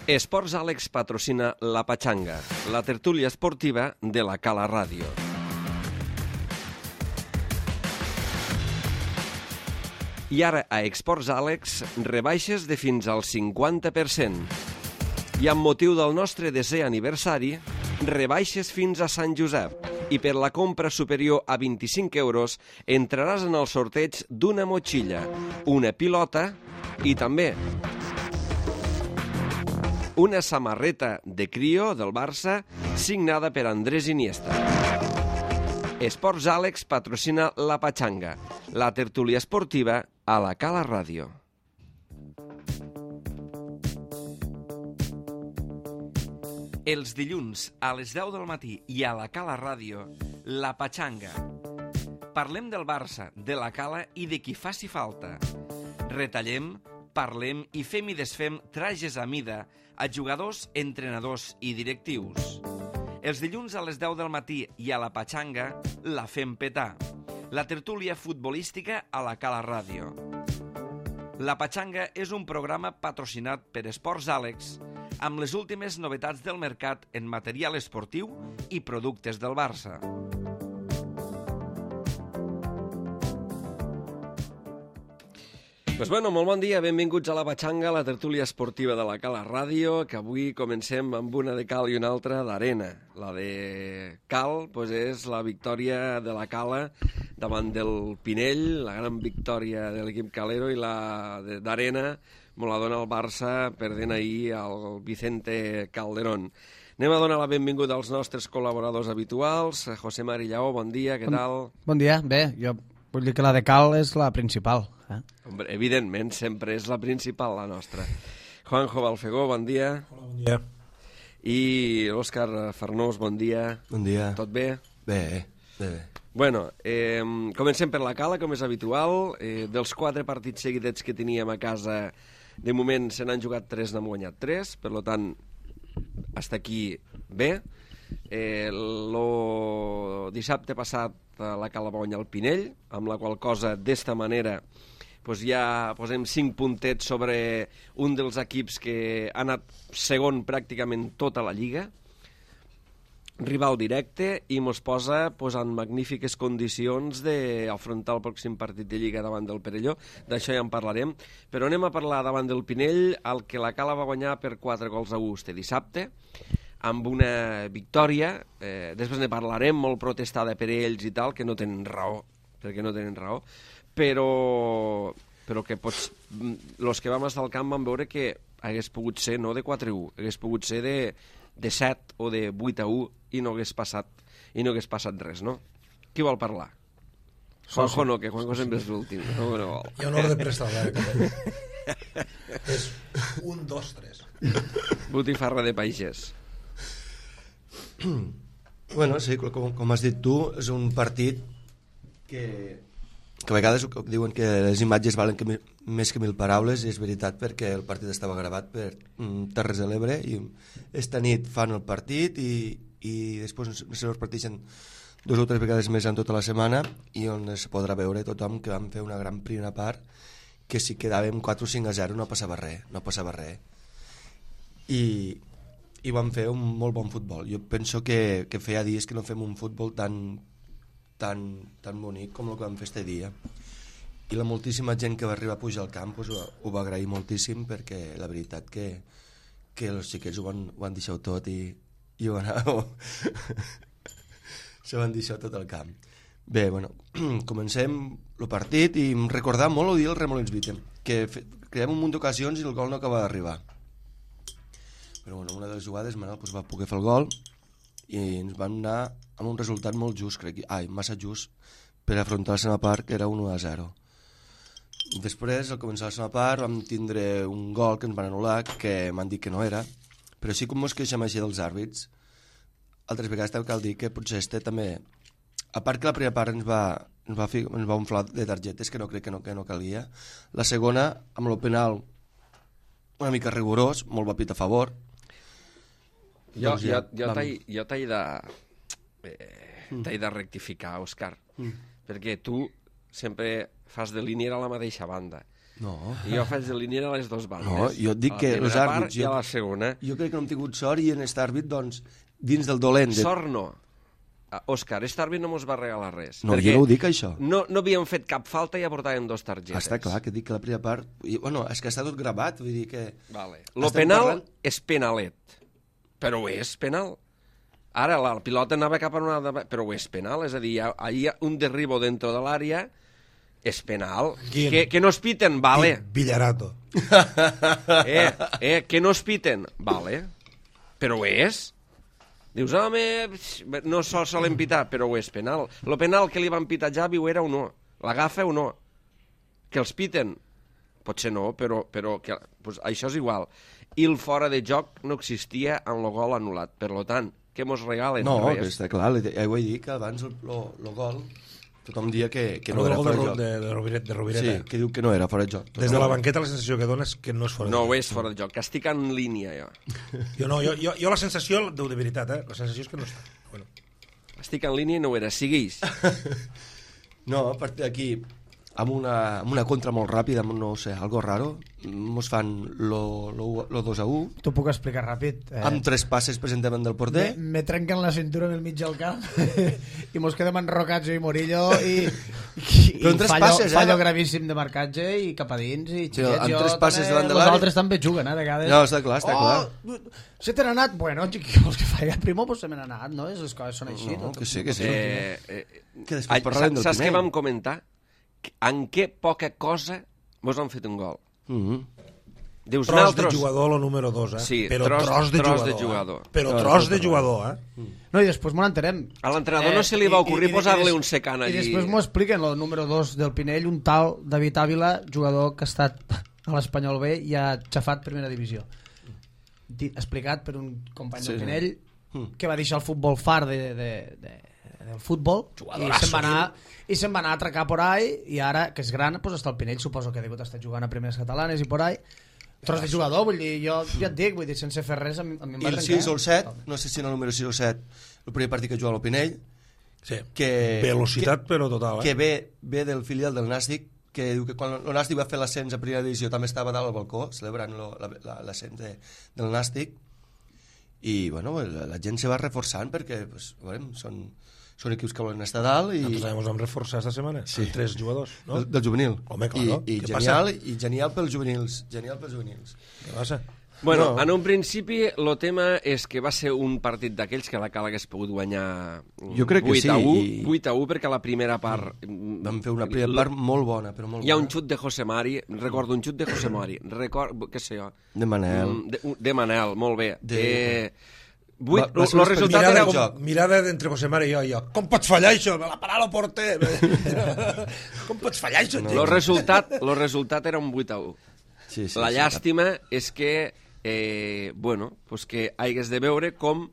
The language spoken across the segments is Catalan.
Esports Àlex patrocina La Pachanga, la tertúlia esportiva de la Cala Ràdio. I ara a Esports Àlex, rebaixes de fins al 50%. I amb motiu del nostre desè aniversari, rebaixes fins a Sant Josep. I per la compra superior a 25 euros entraràs en el sorteig d'una motxilla, una pilota i també una samarreta de Crio del Barça signada per Andrés Iniesta. Esports Àlex patrocina La Pachanga, la tertúlia esportiva a la Cala Ràdio. Els dilluns a les 10 del matí i a la Cala Ràdio, La Pachanga. Parlem del Barça, de la Cala i de qui faci falta. Retallem, parlem i fem i desfem trajes a mida a jugadors, entrenadors i directius. Els dilluns a les 10 del matí i a la Pachanga la fem petar. La tertúlia futbolística a la Cala Ràdio. La Pachanga és un programa patrocinat per Esports Àlex amb les últimes novetats del mercat en material esportiu i productes del Barça. Pues bueno, molt bon dia, benvinguts a La Pachanga, la tertúlia esportiva de la Cala Ràdio, que avui comencem amb una de cal i una altra d'arena. La de cal pues és la victòria de la Cala davant del Pinell, la gran victòria de l'equip calero, i la d'arena me la dona el Barça perdent ahir al Vicente Calderón. Anem a donar la benvinguda als nostres col·laboradors habituals. José Mari Lleó, bon dia, què tal? Bon dia, bé, jo vull dir que la de cal és la principal. Hombre, evidentment, sempre és la principal, la nostra. Juanjo Balfegó, bon dia. Hola, bon dia. I Òscar Farnós, bon dia. Bon dia. Tot bé? Bé. Bueno, comencem per la Cala, com és habitual. Dels 4 partits seguidets que teníem a casa, de moment se n'han jugat 3, n'han guanyat 3, per tant, hasta aquí bé. El dissabte passat la Cala va guanyar el Pinell, amb la qual cosa, d'esta manera, pues ja posem 5 puntets sobre un dels equips que ha anat segon pràcticament tota la Lliga, rival directe, i mos posa pues, en magnífiques condicions d'afrontar el pròxim partit de Lliga davant del Perelló. D'això ja en parlarem, però anem a parlar davant del Pinell, el que la Cala va guanyar per 4-1 este dissabte, amb una victòria, després ne parlarem, molt protestada per ells i tal, que no tenen raó, perquè no tenen raó, però que els que vam estar al camp van veure que hagués pogut ser no de 4-1, hagués pogut ser de 7 o de 8-1 i no hagués passat res, no? Qui vol parlar? Juanjo no, que Juanjo sempre és l'últim. No vol. Hi ha un ordre preestablert. És 1, 2, 3. Botifarra de pagès. Bueno, sí, com has dit tu, és un partit que a vegades diuen que les imatges valen més que 1000 paraules, i és veritat, perquè el partit estava gravat per Terres de l'Ebre, i esta nit fan el partit i després se reparteixen 2 o 3 vegades més en tota la setmana, i on es podrà veure tothom que vam fer una gran primera part, que si quedàvem 4 o 5-0 no passava res. I vam fer un molt bon futbol. Jo penso que feia dies que no fem un futbol tan bonic com el que vam fer este dia, i la moltíssima gent que va arribar a pujar al camp pues, ho va agrair moltíssim, perquè la veritat que els xiquets ho van deixar tot i ho se van deixar tot al camp. Bé, bueno, comencem el partit i recordar molt el dia del Remolins Vitem, que creem un munt d'ocasions i el gol no acaba d'arribar, però bueno, una de les jugades Manel pues, va poder fer el gol i ens van anar amb un resultat molt just, massa just per afrontar la segona part, que era 1-0. Després, al començar la segona part, vam tindre un gol que ens van anul·lar, que m'han dit que no era, però sí com ens queixem així dels àrbits, altres vegades també cal dir que potser també, a part que la primera part ens va inflar de targetes, que no crec que no calia, la segona, amb el penal una mica rigorós, molt va pit a favor. Jo t'he de rectificar, Òscar, perquè tu sempre fas de línia a la mateixa banda. No. I jo faig de línia a les dues bandes. No, jo et dic que els àrbits... I a la segona. Jo crec que no hem tingut sort i en aquest àrbit, doncs, dins del dolent... Sort no. Òscar, aquest àrbit no mos va regalar res. No, jo no ho dic, això. No havíem fet cap falta i ja portàvem 2 targetes. Està clar que dic que la primera part... Bueno, és que està tot gravat, vull dir que... Vale. Lo penal és penalet, però ho és penal. Ara la pilota anava cap a una altra... Però ho és penal, és a dir, hi ha un derribo dentro de l'àrea, és penal. Que no es piten, vale. Villarato. Que no es piten, vale. Però ho és. Dius, home, no solen pitar, però ho és penal. Lo penal que li van pitar a Javi ho era o no? L'agafa o no? Que els piten? Potser no, però que, pues, això és igual. I el fora de joc no existia en el gol anul·lat. Per tant, què mos regalen? No, res. que està clar, ja ho he dit, que abans el gol tothom dia que no era fora de joc. De Rovireta. Sí, que diu que no era fora de joc. Des de la banqueta la sensació que dona és que no és fora de joc. No, ho és fora de joc, que estic en línia, jo. Jo la sensació, de veritat, la sensació és que no està. Bueno. Estic en línia i no ho era, siguis. No, a partir d'aquí, amb una contra molt ràpida, no sé, algo raro, mos fan lo 2-1. T'ho puc explicar ràpid. Amb 3 passes presentament del porter. Me trenquen la cintura en el mig del camp i mos quedem enrocats jo i Murillo i fallo gravíssim de marcatge i cap a dins i xiquets, amb jo 3 passes davant de els l'àrea. altres també juguen, a vegades. No, està clar. Se t'han anat, bueno, xiquets, que falla primo, pues se m'han anat, no? Les coses són així. No, que sí. Que després parlarem del Saps Pinell. què vam comentar? En què poca cosa mos han fet un gol. Dius, Tros de jugador, lo número 2, Sí, però tros de jugador. Però tros de jugador, No, i després m'ho entenem. A l'entrenador no se li va ocorrir posar-li un secant allí. I després m'ho expliquen, el número 2 del Pinell, un tal David Ávila, jugador que ha estat a l'Espanyol B i ha xafat primera divisió. Explicat per un company del Pinell que va deixar el futbol far del futbol i se'n va anar a atracar por ahí i ara, que és gran, pues està el Pinell, suposo que ha degut estar jugant a primeres catalanes i por ahí. Tros de jugador, vull dir, jo ja et dic, vull dir, sense fer res a mi em va trencar. I el 6 o el 7, no sé si en el número 6 o 7, el primer partit que juga al Pinell, velocitat però total, que ve del filial del Nàstic, que diu que quan el Nàstic va fer l'ascens a primera divisió també estava dalt al balcó celebrant l'ascens del Nàstic i bueno, la gent se va reforçant perquè pues, bueno, són equips que volen estar dalt i... Nosaltres ens vam reforçar esta setmana amb 3 jugadors, no? Del juvenil. Home, claro. I genial pels juvenils. Què passa? Bueno, en un principi el tema és que va ser un partit d'aquells que la Cala hagués pogut guanyar 8-1, 8-1 perquè la primera part... Vam fer una primera part molt bona, però molt bona. Hi ha un xut de José Mari, recordo un xut de José Mari, què sé jo... De Manel. De Manel, molt bé. El resultat era mirada d'entre José Mari i jo. Com pots fallar això? Me la parar el porter. Com pots fallar això? El resultat era un 8-1. La llàstima és que pues que hagués de veure com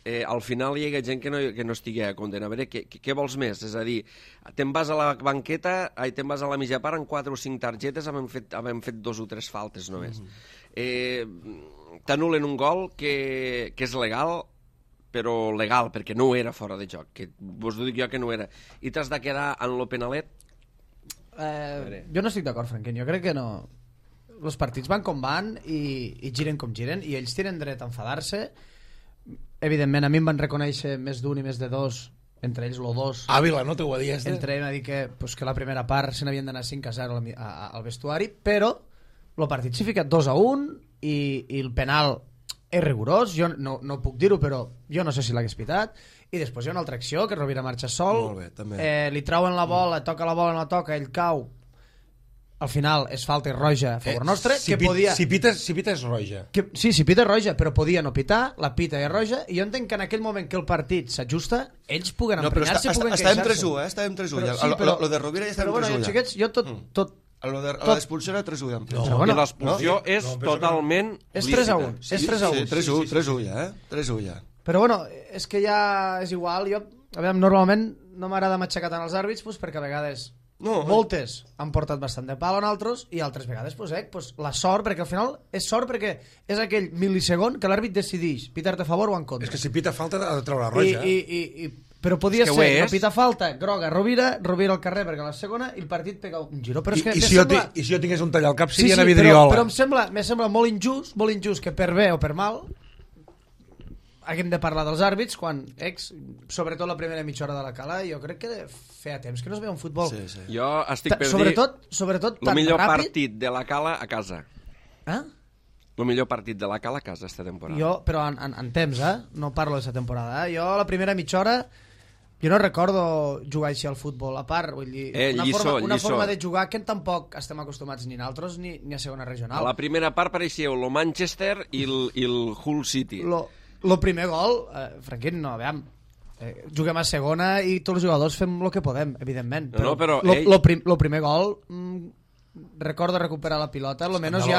al final hi ha gent que no estigui a compte. A veure, què vols més? És a dir, te'n vas a la banqueta, te'n vas a la mitja part amb 4 o 5 targetes, havem fet 2 o 3 faltes només. T'anulen un gol que és legal, però legal, perquè no era fora de joc, que vos ho dic jo que no era. I t'has de quedar en lo penalet? Jo no estic d'acord, Franquín, jo crec que no. Els partits van com van i giren com giren, i ells tenen dret a enfadar-se. Evidentment, a mi em van reconèixer més d'un i més de dos, entre ells lo 2. Ávila, no t'ho dies? Entre ells va dir que la primera part se n'havien d'anar 5-0 al vestuari, però el partit s'ha ficat 2-1 i el penal és rigorós, jo no puc dir-ho, però jo no sé si l'hagués pitat, i després hi ha una altra acció, que Rovira marxa sol, li trauen la bola, toca la bola, no toca, ell cau, al final és falta i roja a favor nostre, si pita és roja. Sí, si pita és roja, però podia no pitar, la pita és roja, i jo entenc que en aquell moment que el partit s'ajusta, ells puguen emprenyar-se, puguen queixar-se. Estàvem 3-1, lo de Rovira ja estàvem 3-1. Però bueno, xiquets, jo tot... L'expulsió era 3-1. I l'expulsió és totalment... És 3-1. És 3-1. 3-1 ja, 3-1 ja. Però bueno, és que ja és igual. Jo, normalment no m'agrada matxacar tant els àrbits perquè a vegades moltes han portat bastant de pal en altres i altres vegades la sort, perquè al final és sort perquè és aquell mil·lisegon que l'àrbit decideix pitar-te a favor o en contra. És que si pita falta ha de treure la roja. Però podia És que ser, ho és. no pita falta, groga, Rovira al carrer perquè a la segona i el partit pega un giro. Però és que I si jo tingués un tall al cap, seria a però Vidriola. em sembla molt injust que per bé o per mal haguem de parlar dels àrbits quan sobretot la primera mitja hora de la Cala, jo crec que feia temps que no es veia un futbol. Sí, sí. Jo estic per Sobretot dir tan el millor ràpid. partit de la Cala a casa. El millor partit de la Cala a casa esta temporada. Però en temps, no parlo d'aquesta temporada. Jo la primera mitja hora jo no recordo jugar així al futbol, a part, vull dir, una forma de jugar que tampoc estem acostumats ni nosaltres ni a segona regional. A la primera part pareixia el Manchester i el Hull City. Lo primer gol, Franquín, no, veiem, juguem a segona i tots els jugadors fem el que podem, evidentment. Però lo primer gol, recordo recuperar la pilota, almenys hi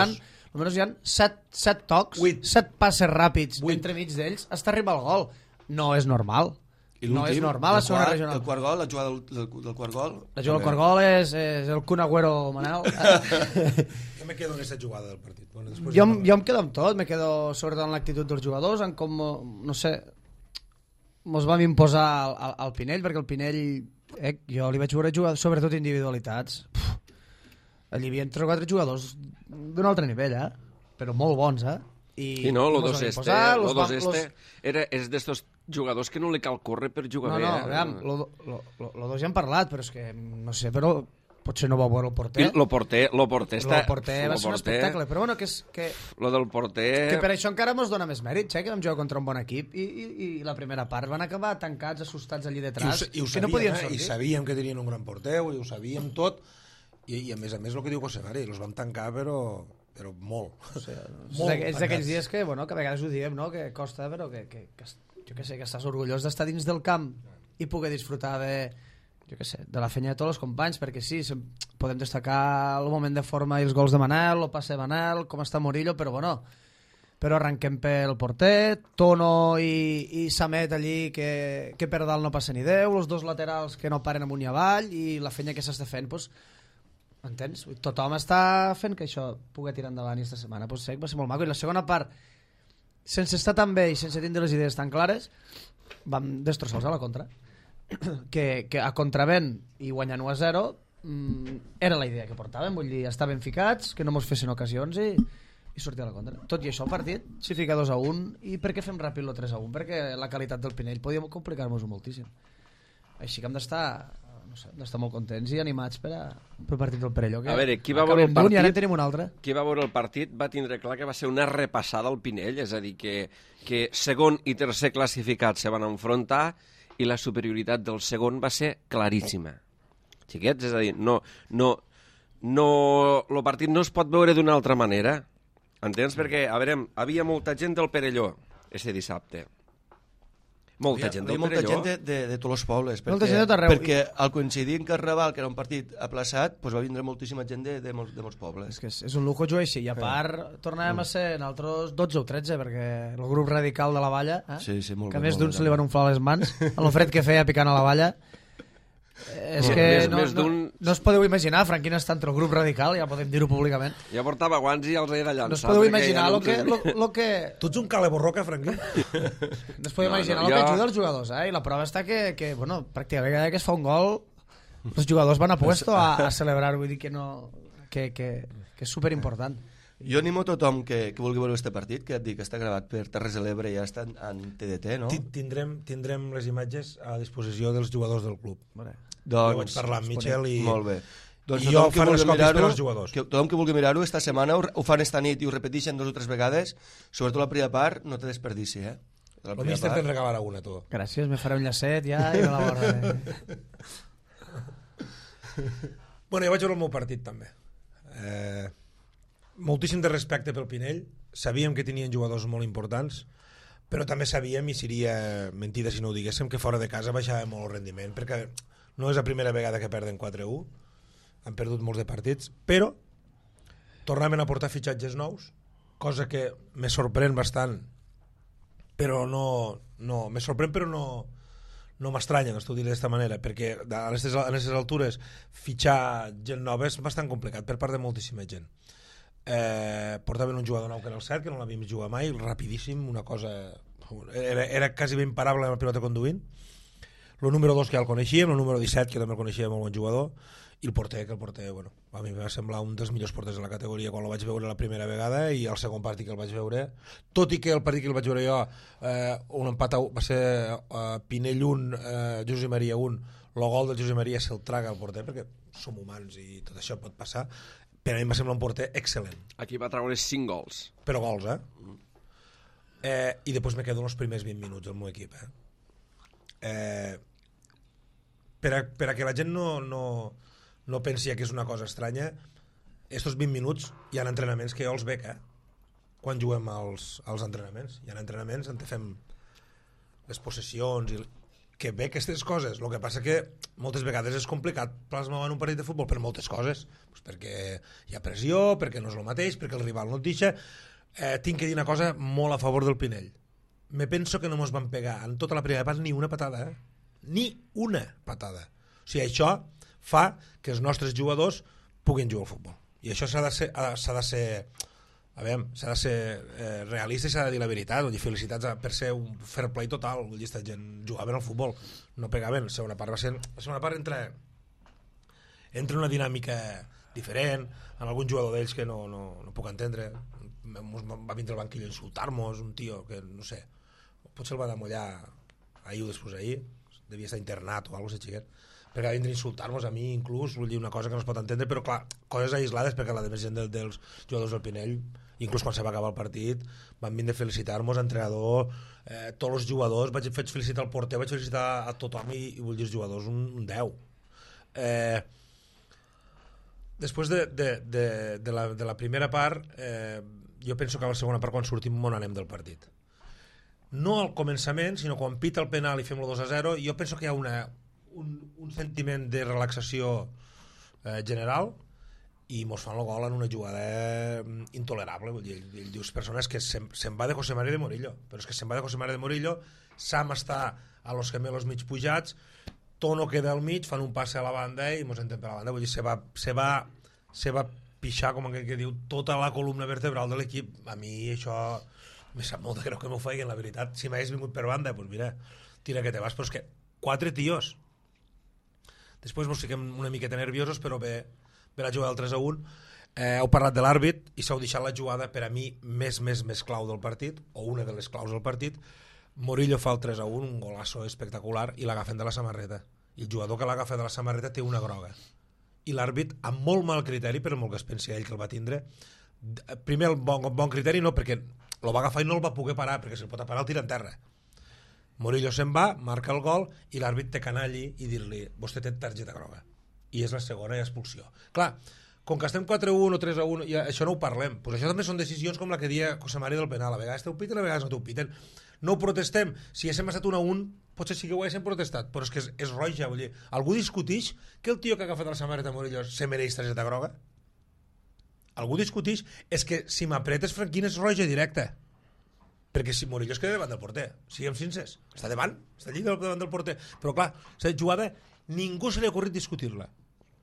ha 7 tocs, 7 passes ràpids entre mig d'ells, hasta arribar al gol. No és normal. No és normal a segona regional. El quart gol, la jugada del quart gol... La jugada del quart gol és el Kun Agüero Manel. Jo me quedo en aquesta jugada del partit. Bueno, jo em quedo amb tot, me quedo sobretot en l'actitud dels jugadors, en com, no sé, mos vam imposar al Pinell, perquè el Pinell, jo li vaig veure jugar sobretot individualitats. Allí hi havia 3 o 4 jugadors d'un altre nivell, però molt bons, I no, lo dos este és d'estos jugadors que no li cal córrer per jugar bé. No, lo dos ja hem parlat, però és que, no sé, però potser no va veure el porter. Lo porter va ser un espectacle, però bueno, que lo del porter... Que per això encara mos dona més mèrit, que vam jugar contra un bon equip i la primera part van acabar tancats, assustats allí detrás, I ho que no podien sortir. I sabíem que tenien un gran porter, i ho sabíem tot, i a més el que diu José Mari, els vam tancar, però molt. O sigui, és d'aquells dies que a vegades ho diem, no? Que costa, però que jo què sé, que estàs orgullós d'estar dins del camp i poder disfrutar de la feina de tots els companys, perquè sí, podem destacar el moment de forma i els gols de Manel, el passe de Manel, com està Murillo, però arrenquem pel porter, Tono i Samet allí, que per dalt no passa ni Déu, els dos laterals que no paren amunt i avall, i la feina que s'està fent, entens? Tothom està fent que això pugui tirar endavant aquesta setmana, va ser molt maco. I la segona part, sense estar tan bé i sense tindre les idees tan clares, vam destrossar-los a la contra. Que a contravent i guanyant 1-0 era la idea que portàvem, vull dir, estar ben ficats, que no mos fessin ocasions i sortir a la contra. Tot i això, el partit s'hi fica 2-1, i per què fem ràpid el 3-1? Perquè la qualitat del Pinell podíem complicar-nos-ho moltíssim. Així que hem d'estar molt contents i animats per partit del Perelló. A veure, qui va veure el partit? I ara en tenim un altre. Qui va veure el partit va tindre clar que va ser una repassada al Pinell, és a dir, que segon i tercer classificats se van enfrontar i la superioritat del segon va ser claríssima. Xiquets, és a dir, el partit no es pot veure d'una altra manera. Entens? Perquè, a veure, havia molta gent del Perelló este dissabte. Molta gent del Perelló. Molta gent de tots els pobles. Molta gent de tot arreu. Perquè al coincidir en Carnaval, que era un partit aplaçat, va vindre moltíssima gent de molts pobles. És que és un lujo jugar així. I a part, tornàvem a ser nosaltres 12 o 13, perquè el grup radical de la Valla, molt que a més d'un se li van unflar les mans, a lo fred que feia picant a la Valla, és que no es podeu imaginar, Franquín està entre el grup radical, ja podem dir-ho públicament. Ja portava guants i els era llançat. No es podeu imaginar el que... Tu ets un cale borroca, Franquín? No es podeu imaginar el que ajuda els jugadors, i la prova està que pràcticament cada que es fa un gol els jugadors van a puesto a celebrar, vull dir que és superimportant. Jo animo a tothom que vulgui veure aquest partit, que et dic que està gravat per Terres de l'Ebre i ja està en TDT, no? Tindrem les imatges a disposició dels jugadors del club. Doncs, jo vaig parlar amb Michel i... Molt bé. Doncs I jo fan les còpies per als jugadors. Tothom que vulgui mirar-ho, esta setmana ho fan esta nit i ho repeteixen 2 o 3 vegades, sobretot la primera part, no té desperdici, El míster te'n regalarà una, tu. Gràcies, me faré un llacet ja i me la guardaré. Bueno, jo vaig veure el meu partit també. Moltíssim de respecte pel Pinell, sabíem que tenien jugadors molt importants, però també sabíem, i seria mentida si no ho diguéssim, que fora de casa baixava molt el rendiment, perquè no és la primera vegada que perden 4-1, han perdut molts de partits, però tornaven a portar fitxatges nous, cosa que me sorprèn bastant, però no me sorprèn però no m'estranya, no t'ho diré d'esta manera, perquè a aquestes altures fitxar gent nova és bastant complicat per part de moltíssima gent. Portaven un jugador nou que era el Cert, que no l'havíem jugat mai, rapidíssim, una cosa era quasi ben imparable amb la pilota conduint. El número 2 que ja el coneixíem, el número 17 que també el coneixia, molt bon jugador, i el porter, bueno, a mi em va semblar un dels millors porters de la categoria quan el vaig veure la primera vegada, i el segon partit que el vaig veure, tot i que el partit que el vaig veure jo, un empat va ser Pinell 1, Josep Maria 1, el gol del Josep Maria se'l traga el porter, perquè som humans i tot això pot passar, però a mi em va semblar un porter excel·lent. Aquí va treure 5 gols. Però gols, i després me quedo els primers 20 minuts del meu equip, per a que la gent no pensi que és una cosa estranya, estos 20 minuts hi ha entrenaments que jo els veig, quan juguem als entrenaments. Hi ha entrenaments on fem les possessions i que ve aquestes coses. El que passa que moltes vegades és complicat plasmar en un partit de futbol per moltes coses, pues perquè hi ha pressió, perquè no és el mateix, perquè el rival no et deixa. Tinc que dir una cosa molt a favor del Pinell. Me penso que no mos van pegar en tota la primera part ni una patada, ni una patada. O sigui, això fa que els nostres jugadors puguin jugar al futbol. I això s'ha de ser realista i s'ha de dir la veritat. Vull dir, felicitats per ser un fair play total. Vull dir, aquesta gent jugaven al futbol, no pegaven. La segona part entra una dinàmica diferent, en algun jugador d'ells que no puc entendre. Va vindre al banquillo a insultar-nos, un tio que, no sé, potser el van amollar ahir o després ahir, devia estar internat o alguna cosa, xiquet, perquè va vindre a insultar-nos a mi inclús, vull dir, una cosa que no es pot entendre, però clar, coses aislades, perquè la més gent dels jugadors del Pinell, inclús quan se va acabar el partit, van vindre a felicitar-nos, entrenador, tots els jugadors, vaig felicitar el porter, vaig felicitar a tothom i vull dir, els jugadors un 10. Després de la primera part, jo penso que a la segona part, quan sortim, on anem del partit. No al començament, sinó quan pita el penal i fem el 2-0, jo penso que hi ha un sentiment de relaxació general i mos fan el gol en una jugada intolerable. Vull dir, ell diu persones que se'n va de José María de Murillo, però és que se'n va de José María de Murillo, Sam està a los gemelos mig pujats, Tono queda al mig, fan un passe a la banda i mos entrem per la banda. Vull dir, se va pixar, com que diu, tota la columna vertebral de l'equip. A mi això me sap molt de greu que m'ho feien, la veritat. Si m'hagués vingut per banda, doncs mira, tira que te vas. Però és que 4 tios. Després mos fiquem una miqueta nerviosos, però ve la jugada del 3-1. Heu parlat de l'àrbit i s'heu deixat la jugada per a mi més clau del partit, o una de les claus del partit. Murillo fa el 3-1, un golasso espectacular, i l'agafen de la samarreta. I el jugador que l'agafa de la samarreta té una groga. I l'àrbit, amb molt mal criteri, però molt que es pensi ell que el va tindre, primer el bon criteri no, perquè el va agafar i no el va poder parar, perquè si el pot parar el tira en terra. Murillo se'n va, marca el gol, i l'àrbit té que anar allí i dir-li, vostè té targeta groga. I és la segona i expulsió. Clar, com que estem 4-1 o 3-1, ja, això no ho parlem. Pues això també són decisions com la que dia José María del penal. A vegades t'ho piten, a vegades no t'ho piten. No ho protestem. Si haguéssim estat 1-1, potser sí que ho haguéssim protestat, però és que és roja. Vull dir, algú discutix que el tio que ha agafat la samarreta Murillo se mereix targeta groga? Algú discutix? És que si m'apretes, Franquín, és roja directa. Perquè si Murillo es queda davant del porter, siguem sincers, està davant, està allí davant del porter, però clar, aquesta jugada ningú se li ha ocorrit discutir-la.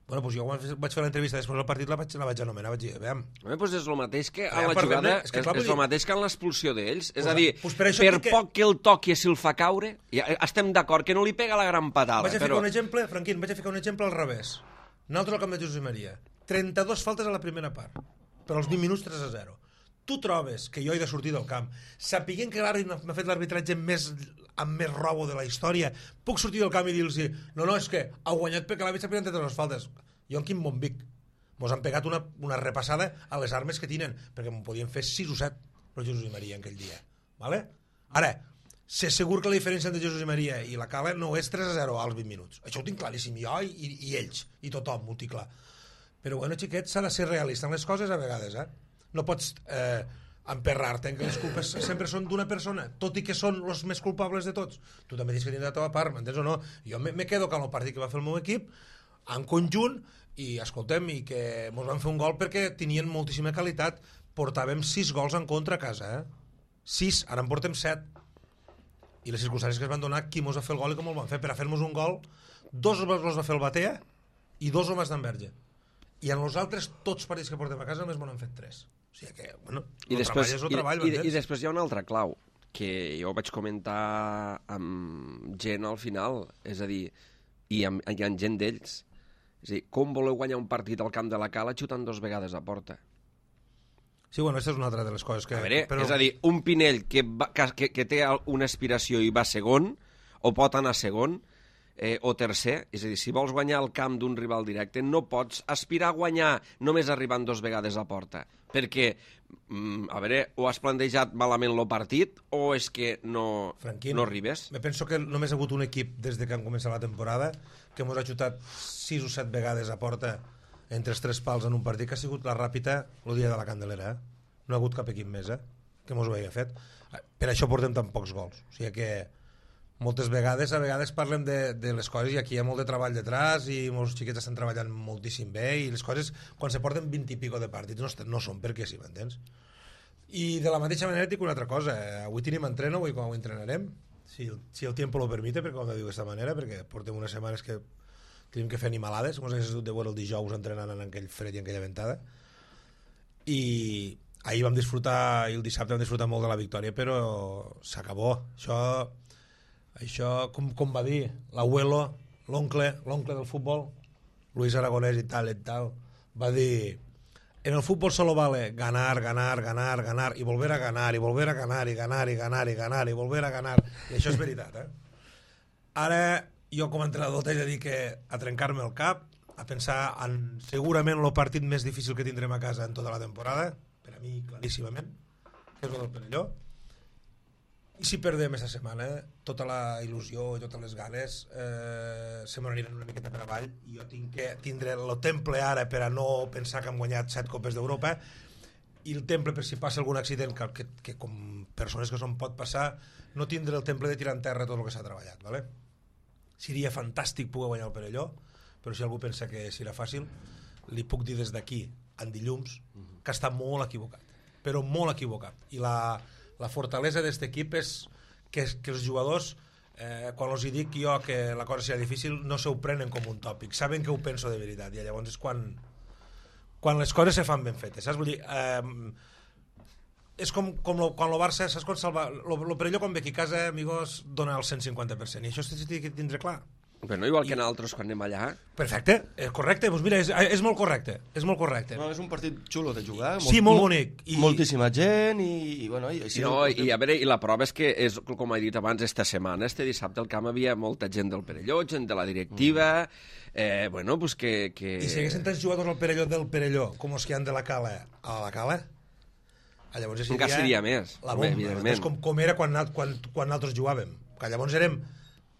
Bueno, doncs jo vaig fer l'entrevista després del partit, la vaig anomenar, vaig dir, veiem. Doncs és el mateix que en la jugada, és el mateix que en l'expulsió d'ells, és a dir, per poc que el toqui si el fa caure, estem d'acord que no li pega la gran patada. Vaig a ficar un exemple, Franquín, al revés. Nosaltres al camp de Josep Maria, 32 faltes a la primera part, per als 20 minuts 3-0. Tu trobes que jo he de sortir del camp, sapiguent que l'àrbit m'ha fet l'arbitratge amb més robo de la història, puc sortir del camp i dir-los no, és que ha guanyat perquè l'àrbit s'ha pegat entre les faltes. Jo en quin bon vic. Mos han pegat una repassada a les armes que tenen, perquè m'ho podien fer 6 o 7 el Jesús i Maria en aquell dia. Vale? Ara, sé segur que la diferència entre Jesús i Maria i la Cala no és 3-0 als 20 minuts. Això ho tinc claríssim, jo i ells, i tothom ho tinc clar. Però bueno, xiquet, s'ha de ser realista en les coses a vegades, No pots emperrar-te en que les culpes sempre són d'una persona, tot i que són els més culpables de tots. Tu també tens que tenir la teva part, m'entens o no? Jo me quedo amb el partit que va fer el meu equip en conjunt i escoltem, i que mos van fer un gol perquè tenien moltíssima qualitat. Portàvem 6 gols en contra a casa, 6, ara en portem 7. I les circumstàncies que es van donar, qui mos va fer el gol i com el van fer. Per a fer-nos un gol, 2 els va fer el Batea i 2 el Mas d'Enverge. I en els altres, tots els partits que portem a casa, només m'han fet 3. O sigui que, bueno, i després hi ha una altra clau. que jo vaig comentar amb gent al final, és a dir, i amb gent d'ells. És a dir, com voleu guanyar un partit al camp de la Cala xutant 2 vegades a porta? Sí, bueno, aquesta és una altra de les coses que... A veure, és a dir, un Pinell que té una aspiració i va segon, o pot anar segon, o tercer, és a dir, si vols guanyar el camp d'un rival directe, no pots aspirar a guanyar només arribant 2 vegades a porta, perquè, a veure, o has plantejat malament el partit, o és que no arribes. Me penso que només ha hagut un equip des que han començat la temporada que ens ha xutat 6 o 7 vegades a porta entre els 3 pals en un partit, que ha sigut la Ràpita el dia de la Candelera. No ha hagut cap equip més que mos ho hagi fet. Per això portem tan pocs gols. O sigui que moltes vegades, parlem de les coses i aquí hi ha molt de treball detrás i molts xiquets estan treballant moltíssim bé i les coses, quan se porten 20 i pico de partits, no són perquè sí, m'entens? I de la mateixa manera et dic una altra cosa, avui tenim entreno, avui com ho entrenarem, si el tiempo lo permite, perquè com ho diu d'aquesta manera, perquè portem unes setmanes que tenim que fer animalades, com s'hagués de veure el dijous entrenant en aquell fred i en aquella ventada, i ahir vam disfrutar, i el dissabte vam disfrutar molt de la victòria, però s'acabó. Això com va dir l'abuelo, l'oncle del futbol, Luis Aragonès i tal, va dir: en el fútbol solo vale ganar, ganar, ganar, ganar, y volver a ganar, y volver a ganar, y ganar, y ganar, y ganar, y volver a ganar. I això és veritat, Ara, jo com a entrenador t'he de dir que a trencar-me el cap, a pensar en segurament el partit més difícil que tindrem a casa en tota la temporada, per a mi claríssimament, que és el del Perelló. I si perdem aquesta setmana, tota la il·lusió i totes les ganes se m'aniran una miqueta per avall, i jo tinc que tindre el temple ara per a no pensar que hem guanyat 7 copes d'Europa, i el temple per si passa algun accident que com persones que són pot passar, no tindre el temple de tirar en terra tot el que s'ha treballat, ¿vale? Seria fantàstic poder guanyar el Perelló, però si algú pensa que serà fàcil, li puc dir des d'aquí, en dilluns, que està molt equivocat, però molt equivocat. I la fortalesa d'aquest equip és que els jugadors, quan els dic jo que la cosa serà difícil, no s'ho prenen com un tòpic, saben que ho penso de veritat, i llavors és quan les coses se fan ben fetes, saps? Vull dir, és com quan el Barça, saps quan salva el Perelló quan ve aquí a casa, amigos, dona el 150%, i això s'ha de tindre clar. Però igual que nosaltres quan anem allà. Perfecte, correcte, doncs mira, és molt correcte, és molt correcte. No, és un partit xulo de jugar. Sí, molt bonic. Moltíssima gent i bueno... I a veure, i la prova és que, com he dit abans, esta setmana, este dissabte al camp havia molta gent del Perelló, gent de la directiva, bueno, pues que... I si haguessin tants jugadors al Perelló del Perelló com els que han de la Cala a la Cala, llavors encara seria més, la bomba, evidentment. Com era quan nosaltres jugàvem, que llavors érem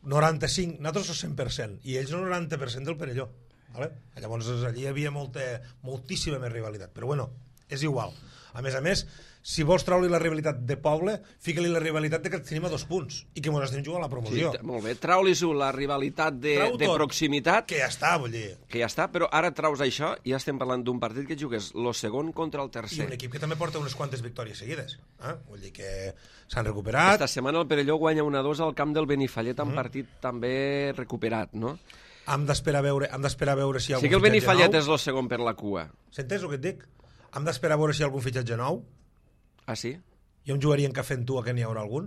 95, nosaltres el 100%, i ells el 90% del Perelló. ¿Vale? Llavors allí hi havia moltíssima més rivalitat, però bueno, és igual. A més, si vols treure-li la rivalitat de poble, fica-li la rivalitat de que tenim a 2 punts i que ens estem jugant a la promoció. Sí, molt bé, trau-li-ho la rivalitat de proximitat. Que ja està, vull dir. Que ja està, però ara traus això i ja estem parlant d'un partit que jugues el segon contra el tercer. I un equip que també porta unes quantes victòries seguides. Vull dir que s'han recuperat. Esta setmana el Perelló guanya 1-2 al camp del Benifallet en partit també recuperat, no? Hem d'esperar a veure si hi ha algun fitxatge nou. Sí que el Benifallet és el segon per la cua. S'entens el que et dic? Hem d'esperar a veure si hi ha algun fitxatge nou. Ah, sí? Jo em jugaria en cafè amb tu a que n'hi haurà algun.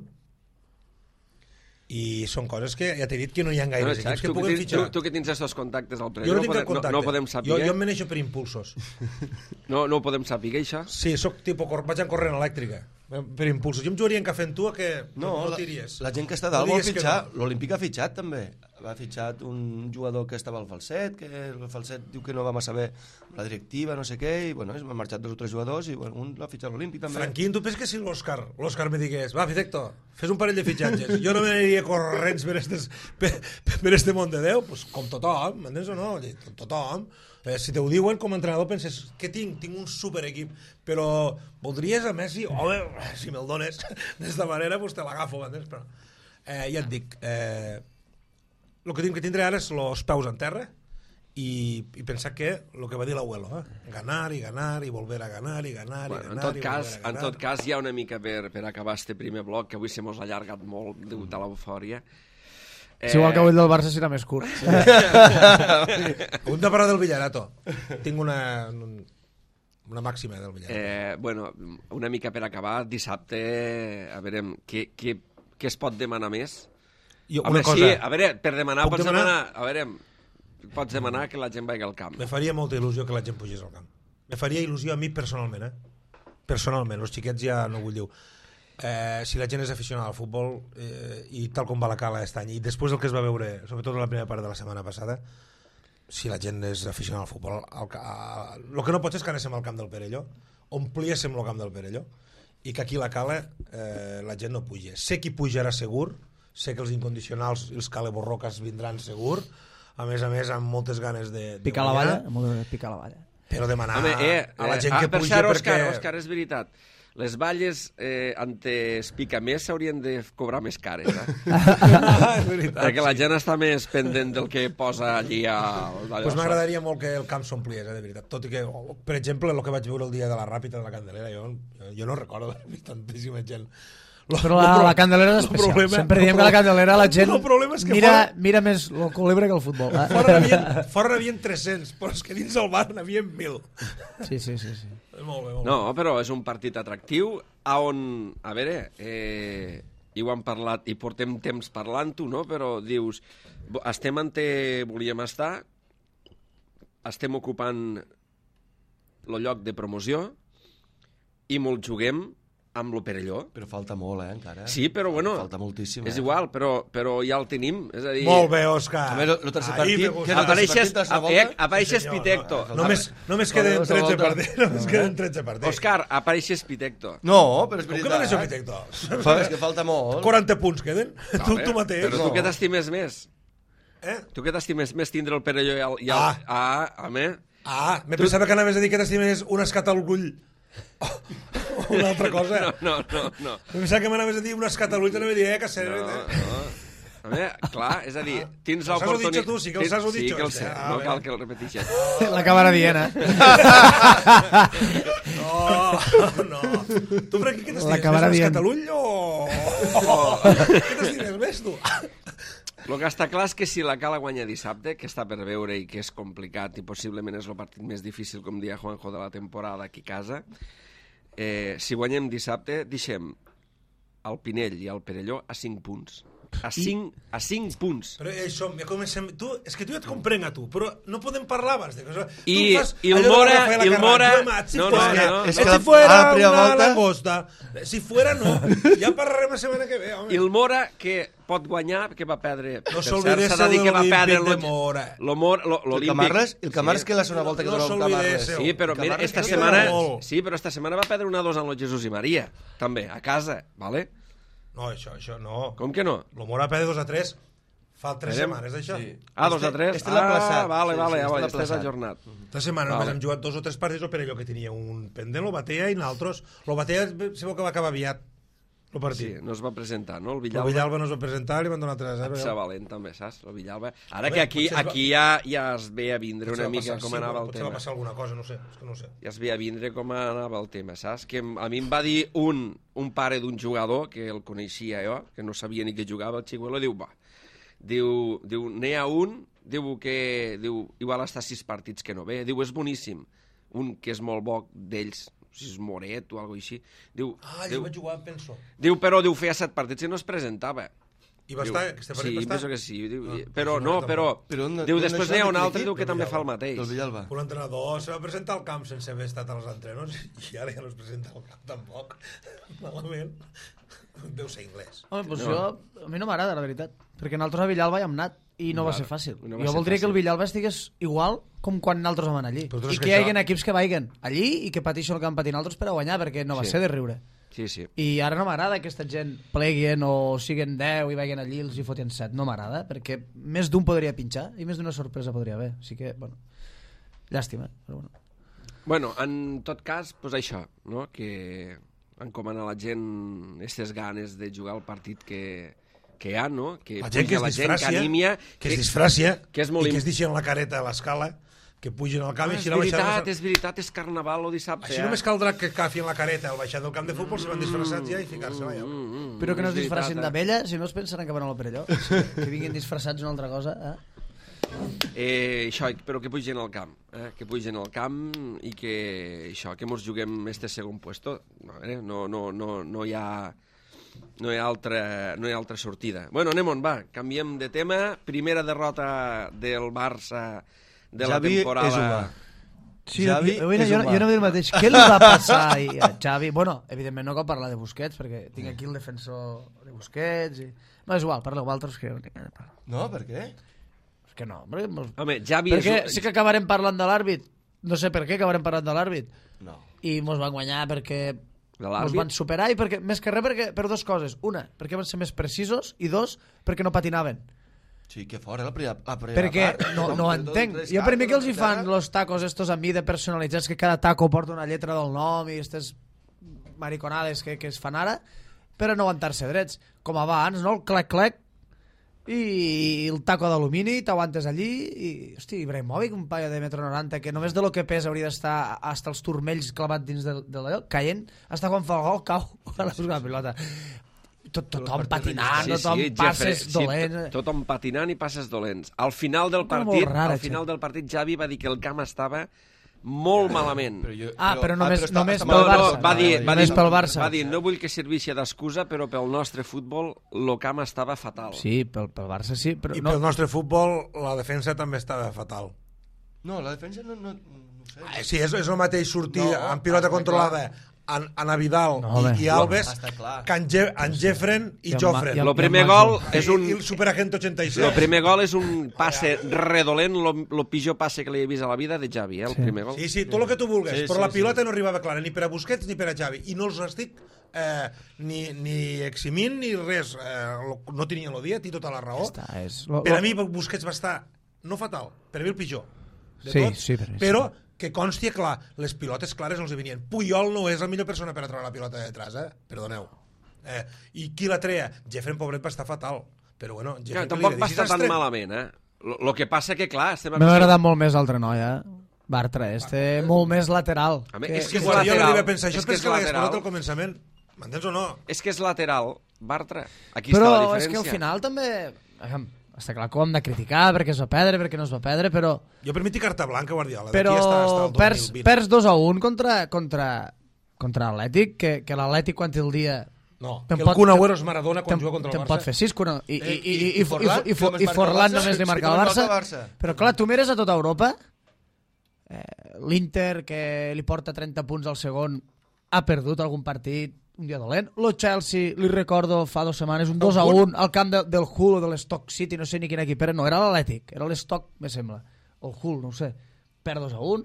I són coses que ja t'he dit que no hi ha gaires equips que puguen fitxar. Tu que tens aquests contactes al Perelló, jo no tinc cap contacte. No podem saber. Jo em meneixo per impulsos. No ho podem saber, això? Sí, vaig en corrent elèctrica. Per impulsos. Jo em jugaria en cafè amb tu a que no tiries. La gent que està dalt vol fitxar. L'Olímpic ha fitxat també. Ha fitxat un jugador que estava al Falset, que el Falset diu que no va massa bé la directiva, no sé què, i bueno, m'han marxat 2 o 3 jugadors i bueno, un l'ha fitxat l'Olímpic també. Franquín, tu penses que si l'Òscar me digués, va, Fitecto, fes un parell de fitxatges, jo no m'aniria corrents per este món de Déu, pues, com tothom, m'entens o no? Com tothom. Si te ho diuen com a entrenador penses, què tinc? Tinc un super equip, però voldries a Messi? Home, si me'l dones d'esta manera, pues te l'agafo, m'entens? Però ja et dic, el que tinc que tindre ara és els peus en terra i pensar que el que va dir l'abuelo, ganar i ganar i volver a ganar i ganar i ganar. En tot cas, hi ha una mica per acabar este primer bloc, que avui se mos ha allargat molt degut a l'eufòria. És igual que avui del Barça serà més curt. Hem de parlar del Villarato. Tinc una... una màxima del Villalba. Bueno, una mica per acabar, dissabte, a veure, què es pot demanar més? Una cosa, sí, a veure, per demanar, Puc pots demanar? demanar, a veure, pots demanar que la gent vagi al camp. Me faria molta il·lusió que la gent pugés al camp. Me faria il·lusió a mi personalment, Personalment, els xiquets ja no vull dir. Si la gent és aficionada al futbol i tal com va la cala aquest any, i després del que es va veure, sobretot la primera part de la setmana passada, si la gent és aficionada al futbol, el que no pot ser és que anéssim al camp del Perelló, ompliéssim el camp del Perelló, i que aquí la cala la gent no puja. Sé qui pujarà segur, sé que els incondicionals i els caleborroques vindran segur, a més, amb moltes ganes de picar la valla, picar la valla. Però demanar Home, a la gent que per puja cert, perquè... Òscar, és veritat. Les valles ante es pica més s'haurien de cobrar més cares, És veritat, perquè la gent està més pendent del que posa allí Pues m'agradaria molt que el camp s'ompliés, de veritat. Tot i que, per exemple, el que vaig veure el dia de la Ràpita de la Candelera, jo no recordo d'haver vist tantíssima gent. Però la Candelera és especial. Sempre diem que la Candelera la gent mira més el culebre que el futbol. Fora n'havia 300, però és que dins el bar n'havia 1.000. Sí. Molt bé. No, però és un partit atractiu on, a veure, i ho hem parlat i portem temps parlant-ho, no? Però dius, estem on volíem estar, estem ocupant el lloc de promoció i molt juguem amb lo Perelló. Però falta molt, encara. Sí, però bueno, falta moltíssim. És igual, però ja el tenim. És a dir... Molt bé, Òscar. A veure, el tercer partit... Apareixes Pitecto. Només queden 13 partits. Òscar, apareixes Pitecto. No, però és Com que veritat. m'aneixo Pitecto? És que falta molt. 40 punts queden. Tu mateix. Però tu què t'estimes més? Tu què t'estimes més tindre el Perelló i el... home... Me pensava que anaves a dir que t'estimes un escat al ull. Una altra cosa. No. Em pensava que m'anaves a dir un escat al ull, t'anava a dir, que sèrio. A veure, clar, és a dir, tens l'oportunitat... Tu, sí que els has dit. Sí que el sé, no cal que el repeteixes. L'acabarà dient, No. Tu per aquí què t'estimes? Un escat al ull o... Què t'estimes més, tu? El que està clar és que si la Cala guanya dissabte, que està per veure i que és complicat i possiblement és el partit més difícil, com dia Juanjo, de la temporada aquí a casa, si guanyem dissabte, deixem el Pinell i el Perelló a 5 punts. A 5 punts. Però això, ja comencem... És que tu ja et comprenc a tu, però no podem parlar abans de que... I el Mora... Si fuera una langosta, si fuera no, ja parlarem la setmana que ve, home. I el Mora, que pot guanyar, que va perdre... No s'olvidés el de l'Olímpic de Mora. El Camarles que la segona volta que dona el Camarles. Sí, però mira, esta setmana va perdre 1-2 amb el Jesús i Maria, també, a casa, vale? No, això no. Com que no? El Mora perd 2-3. Fa 3 setmanes, això. 2-3? Este l'ha plaçat. Vale, este és ajornat. 3 setmanes, només hem jugat 2 o 3 partits, o per allò que tenia un pendent, lo batea, i nosaltres... Lo batea se veu que va acabar aviat, el partit. Sí, no es va presentar, no? El Villalba no es va presentar, li van donar 3-0. Està valent, també, saps? El Villalba. Ara que aquí ja es ve a vindre una mica com anava el tema. Potser va passar alguna cosa, no sé, és que no sé. Ja es ve a vindre com anava el tema, saps? Que a mi em va dir un pare d'un jugador, que el coneixia jo, que no sabia ni que jugava, el Xiguelo, diu, n'hi ha un, diu que igual està 6 partits que no ve, diu, és boníssim, un que és molt bo d'ells, si és Moret o alguna cosa així. Diu, jo vaig jugar, penso. Diu, però feia 7 partits i no es presentava. I va estar? Aquesta partit va estar? Sí, penso que sí. Diu, després n'hi ha un altre que també fa el mateix. El Villalba. Un entrenador se va presentar al camp sense haver estat als entrenors i ara ja no es presenta al camp tampoc. Malament. Deu ser anglès. Home, doncs a mi no m'agrada, la veritat. Perquè nosaltres a Villalba hi hem anat i no va ser fàcil. Jo voldria que el Villalba estigués igual com quan nosaltres vam anar allí. I que hi hagi equips que vagin allí i que pateixen el que han patit nosaltres per a guanyar, perquè no va ser de riure. Sí, sí. I ara no m'agrada que aquesta gent pleguin o siguin 10 i vagin allí i els hi fotien 7. No m'agrada, perquè més d'un podria pinxar i més d'una sorpresa podria haver. Així que, bueno, llàstima. Però bueno. Bueno, en tot cas, doncs això, no? Que encomana a la gent aquestes ganes de jugar el partit que hi ha, no? Que la gent que es disfràcia, que és molt i que es deixen la careta a l'escala, que pugin al camp i és veritat, és carnaval o dissabte. Així només caldrà que cafin la careta al baixar del camp de futbol, se van disfressats ja i ficar-se allà. Però que no es disfressin d'abella, si no es pensaran que van al Perelló. Que vinguin disfressats una altra cosa. Això, però que pugin al camp, que pugin al camp i que això, que mos juguem este segon puesto. No hi ha altra sortida. Bueno, anem on va, canviem de tema. Primera derrota del Barça de la temporada. És humà. Sí, Xavi jo és humà. no dic el mateix. Què li va passar a Xavi? Bueno, evidentment no cal parlar de Busquets, perquè tinc aquí el defensor de Busquets. No, és igual, parleu altres que no tinc gaire de parlar. No, per què? És que no, perquè... Home, Xavi perquè sí que acabarem parlant de l'àrbit. No sé per què acabarem parlant de l'àrbit. No. I mos van guanyar perquè De mos l'àrbit? van superar i perquè, més que res per dues coses. Una, perquè van ser més precisos i dos, perquè no patinaven. Sí, que fora la primera Perquè part. no ho entenc. Jo per mi que els hi fan los tacos estos a mi de personalitzats, que cada taco porta una lletra del nom i aquestes mariconades que es fan ara, per a no aguantar-se drets. Com abans, no? El clec-clec i el taco d'alumini, t'aguantes allí i, hosti, Ibrahimovic, un paio de metro 90 que només de lo que pesa hauria d'estar hasta els turmells clavats dins de l'allò, caient, hasta quan fa el gol cau a la pilota. Tothom patinant, tothom passes dolents. Tothom patinant i passes dolents. Al final del partit, Xavi va dir que el camp estava molt malament. Però només pel Barça. Pel Barça. Va dir, no vull que serveixi d'excusa, però pel nostre futbol el camp estava fatal. Sí, pel Barça sí. Però I pel nostre futbol la defensa també estava fatal. No, la defensa no sé. Sí, és el mateix sortir amb pilota controlada a Vidal i Alves que en Jeffren i Jofren. El primer gol és un... I el Superagent 86. El primer gol és un passe redolent, el pitjor passe que li he vist a la vida de Xavi, el primer gol. Sí, tot el que tu vulguis, però la pilota no arribava clara, ni per a Busquets ni per a Xavi, i no els estic ni eximint ni res, no tenia el dia, té tota la raó. Per a mi Busquets va estar, no fatal, per a mi el pitjor de tot, però que consti, clar, les pilotes clares no els venien. Puyol no és la millor persona per a treure la pilota de detrás, perdoneu. I qui la treia? Jeffren, pobret, va estar fatal. Però bueno, tampoc va estar tan malament, Lo que passa que, clar... M'ha agradat molt més l'altre noi, Bartra, molt més lateral. És que és lateral. Jo no li vaig pensar, això és que l'hagués posat al començament. M'entens o no? És que és lateral, Bartra. Aquí està la diferència. Però és que al final també... Està clar que ho hem de criticar perquè es va perdre, perquè no es va perdre, però... Jo per mi té carta blanca, Guardiola. Però perds 2-1 contra l'Atlètic, que l'Atlètic quan té el dia... No, que el Kun Agüero es Maradona quan juga contra el Barça. Te'n pot fer 6, i Forlán només li marca el Barça. Però clar, tu mires a tota Europa, l'Inter, que li porta 30 punts al segon, ha perdut algun partit, un dia dolent. Lo Chelsea, li recordo fa 2 setmanes, un 2-1 al camp del Hull o de l'Stock City, no sé ni quin equip era, no, era l'Atlètic, era l'Stock, me sembla, o el Hull, no ho sé, perd 2-1,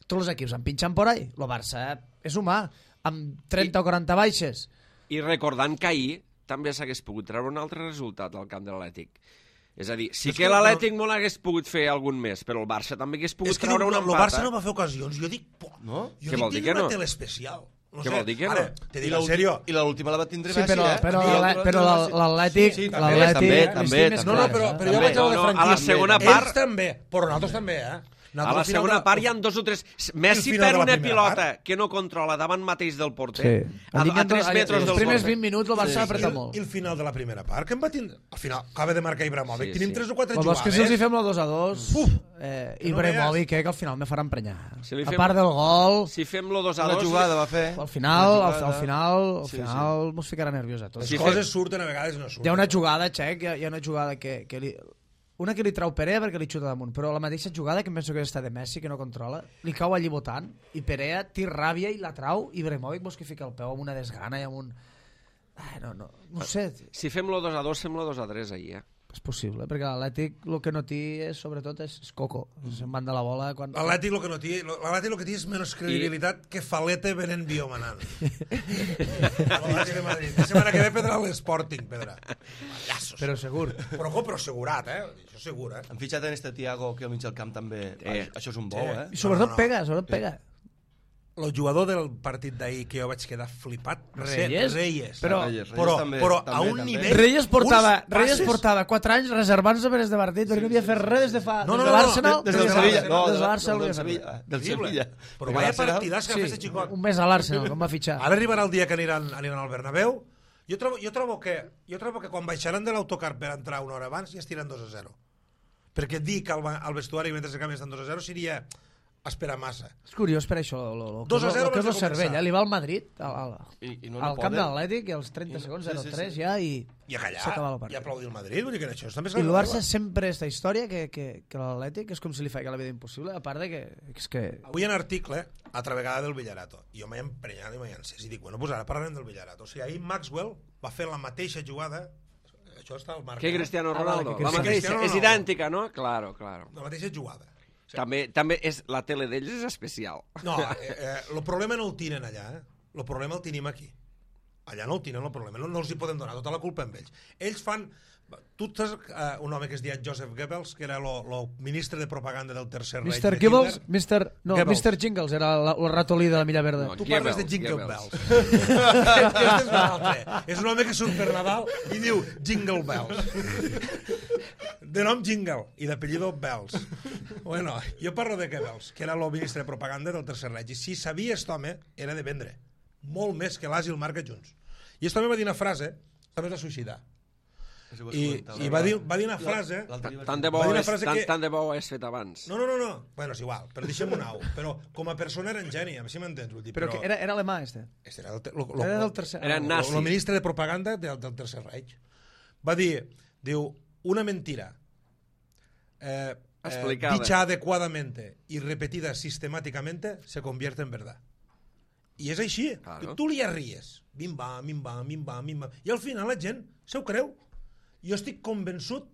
tots els equips han pinxat por ahí, lo Barça és humà, amb 30 o 40 baixes. I recordant que ahir també s'hagués pogut treure un altre resultat al camp de l'Atlètic. És a dir, sí que l'Atlètic molt hagués pogut fer algun més, però el Barça també hagués pogut treure un empat. El Barça no va fer ocasions, jo dic, tinc una tele especial. No què vol dir que no? Te dic en sèrio. I l'última la va tindre Messi, però l'Atlètic... També. No, però jo vaig a la a la segona part... Ells també, però nosaltres també, A la segona part hi ha 2 o 3... Messi per una pilota que no controla davant mateix del porter, a 3 metres del porter. Els primers 20 minuts el Barça apreta molt. I el final de la primera part, que em va tindre... Al final, acaba de marcar Ibrahimovic, tenim 3 o 4 jugades. Vols que si els hi fem la 2-2, Ibrahimovic, que al final me farà emprenyar. A part del gol... Si fem lo 2-2... La jugada va fer... Al final mos ficarà nerviós a tots. Les coses surten, a vegades no surten. Hi ha una jugada, Xec, hi ha una jugada que una que li trau Perea perquè li xuta damunt, però la mateixa jugada que em penso que està de Messi, que no controla, li cau allí botant, i Perea té ràbia i la trau, i Ibrahimovic mos que fica el peu amb una desgana i amb un... No sé. Si fem lo 2-2, fem lo 2-3 ahir, És possible, perquè l'Atlètic el que no té sobretot és coco, se'n van de la bola quan... L'Atlètic el que té és menys credibilitat que Falete venent biomanant. L'Atlètic de Madrid. La setmana que ve pedrà l'Sporting, pedrà. Pallassos. Però segur. Però segurat, Això segur, Han fitxat en este Thiago que al mig del camp també... Això és un bou, I sobretot pega. El jugador del partit d'ahir que jo vaig quedar flipat Reyes. Però a un nivell... Reyes portava 4 anys reservant-se per este partit perquè no havia fet res des de fa... Des de l'Arsenal? Des del Sevilla. Del Sevilla. Però vaya partidàs que ha fet este xicot. Un mes a l'Arsenal, com va fitxar. Ara arribarà el dia que aniran al Bernabéu. Jo trobo que quan baixaran de l'autocar per entrar una hora abans ja estiran 2-0. perquè dir que al vestuari mentre el camp estan 2-0 seria esperar massa. És curiós per això, el que és el cervell. Li va al Madrid, al camp de l'Atlètic, i als 30 segons, 0-3 ja, i s'acaba la part. I aplaudir el Madrid, vull dir que això també és... I el Barça sempre aquesta història que l'Atlètic és com si li feia la vida impossible, a part de que... És que... Avui en article, altra vegada del Villarato, i jo m'he emprenyat i m'he encès, i dic, bueno, doncs ara parlarem del Villarato. O sigui, ahir Maxwell va fer la mateixa jugada, això està al marc. Que Cristiano Ronaldo. Vale, la mateixa, és idèntica, no? Claro. La mateixa jugada. Sí. També és, la tele d'ells és especial. No, el problema no el tiren allà, el problema el tenim aquí. Allà no el tiren, el problema, no els hi podem donar tota la culpa amb ells. Ells fan... Tu tens un home que es deia Joseph Goebbels, que era el ministre de propaganda del Tercer Reich. Mr. Goebbels? Mr. Jingles, era el ratolí de la Milla Verda. No, tu parles de Jingle Bells. Aquest és un altre. És un home que surt per Nadal i diu Jingle Bells. De nom Jingle i d'apellido Bells. Bueno, jo parlo de Goebbels, que era el ministre de propaganda del Tercer Reich. I si sabia aquest home, era de vendre. Molt més que l'As i el Marca junts. I aquest home va dir una frase, també es va suïcidar. I va dir una frase... Tant de bo ho has fet abans. No. Bueno, és igual, però deixem un au. Però com a persona era en geni, a mi si m'entens. Però era alemà, este. Era del tercer... Era nazi. El ministre de propaganda del Tercer Reich. Va dir, una mentira dicha adecuadamente y repetida sistemáticamente se convierte en verdad. I és així. Claro. Tu li arries. Bim-bam. I al final la gent se ho creu. Jo estic convençut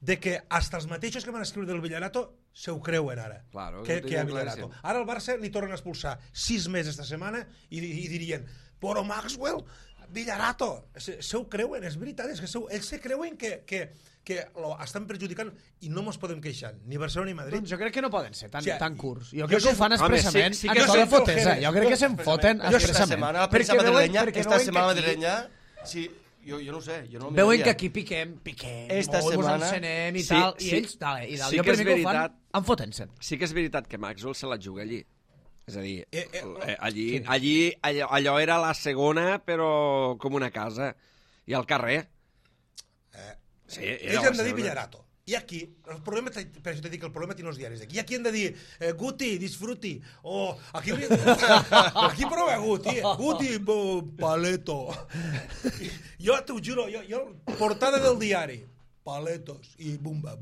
de que hasta els mateixos que van escriure del Villarato se ho creuen ara. Claro, que a Villarato. Ara al Barça li tornen a expulsar 6 mesos esta setmana i dirien, però Maxwell, Villarato, se ho creuen, és veritat, és que ells se creuen que estan perjudicant i no mos podem queixar, ni Barcelona ni Madrid. Doncs jo crec que no poden ser tan curts. Jo crec que ho fan expressament. Sí que són fotesa. Jo crec que se'n foten expressament. Esta setmana madrilenya, sí, jo no ho sé, jo no veuen que aquí piquem, ens encenem i tal, i ells, sí jo per mi que ho fan, en foten-se'n. Sí que és veritat que Maxwell se la juga allí. És a dir, allò era la segona, però com una casa. I al carrer. Sí, ells han de dir Villarato. I aquí, el problema, per això t'he dit que el problema té els diaris d'aquí. I aquí han de dir, Guti, disfruti. O aquí prova Guti, paleto. Jo t'ho juro, portada del diari, paletos, i bumba.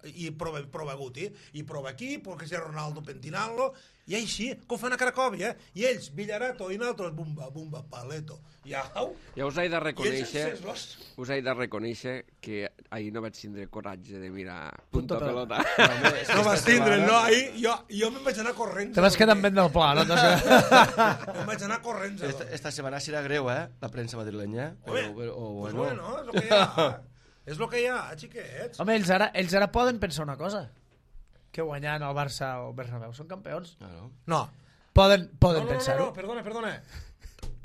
I prova Guti, i prova aquí, perquè si Ronaldo pentinant-lo, i així, que ho fan a Cracòvia, i ells, Villarato, i nosaltres, bumba, paleto. Ja us he de reconèixer que ahir no vaig tindre coratge de mirar punto pelota. No vas tindre, no, ahir jo me'n vaig anar corrents. Te vas quedar amb vent del pla, no? Me'n vaig anar corrents. Esta setmana serà greu, la premsa madrilenya. Bueno, és el que hi ha. És el que hi ha, xiquets. Home, ells ara poden pensar una cosa, que guanyant el Barça o el Bernabéu són campions. No. Poden pensar-ho. No, perdona.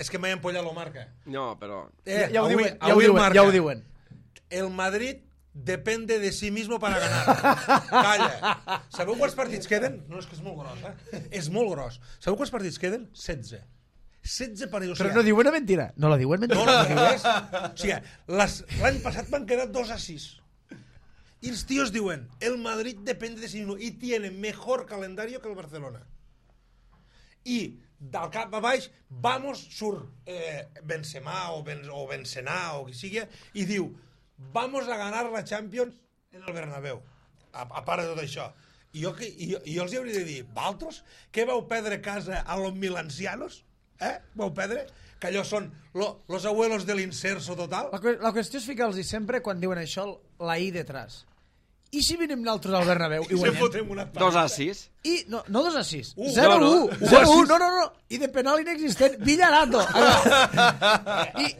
És que m'he empollat la marca. No, però... Ja ho diuen. El Madrid depende de sí mismo para ganar. Calla. Sabeu quants partits queden? No, és que és molt gros, És molt gros. Sabeu quants partits queden? 16. 16 partits. Però no diuen una mentira. No la diuen mentira. No la diuen. O sigui, l'any passat van quedar 2-6. Y los tíos diuen, el Madrid depende de sí mismo y tiene mejor calendario que el Barcelona. Y del cap a baix, surt Benzema o Benzema o qui sigui, i diu, vamos a ganar la Champions en el Bernabéu. A part de tot això. I jo els hauria de dir, valtros, què vau perdre casa a los milancianos? Vau perdre? Que allò són los abuelos de l'inserso total? La qüestió és ficar-los sempre, quan diuen això, la I detrás. I si venim nosaltres al Bernabéu i guanyem? 2-6. No 2-6. 0-1. 0-1. No. I de penal inexistent, Villarato.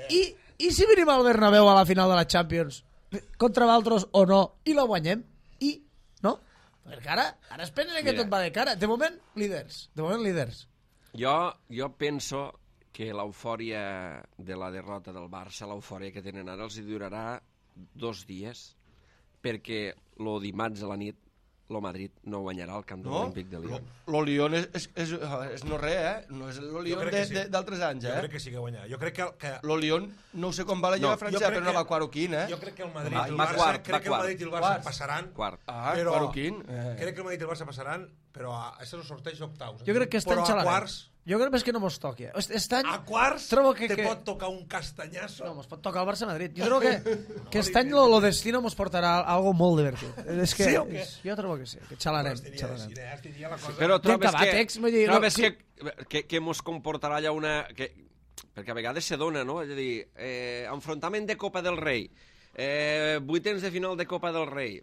I si venim al Bernabéu a la final de la Champions contra vosaltres o no, i la guanyem? No? Perquè ara es pensa que tot va de cara. De moment, líders. Jo penso que l'eufòria de la derrota del Barça, l'eufòria que tenen ara, els durarà 2 dies, perquè el dimarts a la nit lo Madrid no guanyarà el camp de No? l'Olímpic de Lyon. Lo Lyon és no res, eh? No és lo Lyon d'altres anys, Jo eh? crec que sí que guanyarà. Jo crec que Lo Lyon, no sé com va la Lliga francesa, però no va quart o quin, eh? jo crec que el Madrid Va i el quart, Barça, va crec que el quart. Madrid i el Barça passaran. Quart. Ah, però quart o quin? crec que el Madrid i el Barça passaran, però això és el sorteig d'octaus. Jo crec que està però a enxalagat. quarts, Jo crec més que no mos toqui. Aquest any a quarts trobo que... te pot tocar un castanyasso. No, mos pot tocar el Barça-Madrid. Jo trobo que aquest any lo destino mos portarà algo molt divertit. És que, Sí o què? jo trobo que sí, que xalarem. Estiria la cosa... Però trobes acabat, que, ex, vull dir, trobes no, que mos comportarà allà una... Perquè a vegades se dona, no? És a dir, enfrontament de Copa del Rei, vuitens de final de Copa del Rei,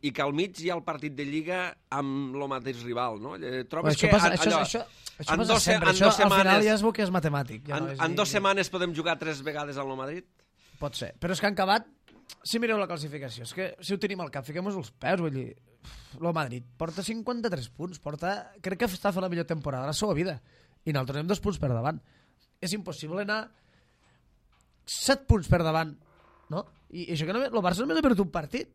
i que al mig hi ha el partit de Lliga amb el mateix rival, no? Trobes això que passa, allò... això en passa dos- sempre. en Això, dos al final setmanes- ja es veu que és matemàtic. Ja no és En ni- 2 setmanes podem jugar 3 vegades al Madrid? Pot ser. Però és que han acabat... Si mireu la classificació, és que si ho tenim al cap, fiquem-nos els peus, vull dir... El Madrid porta 53 punts, crec que està fent la millor temporada de la seva vida. I nosaltres anem 2 punts per davant. És impossible anar 7 punts per davant, no? I això que només, el Barça només ha perdut un partit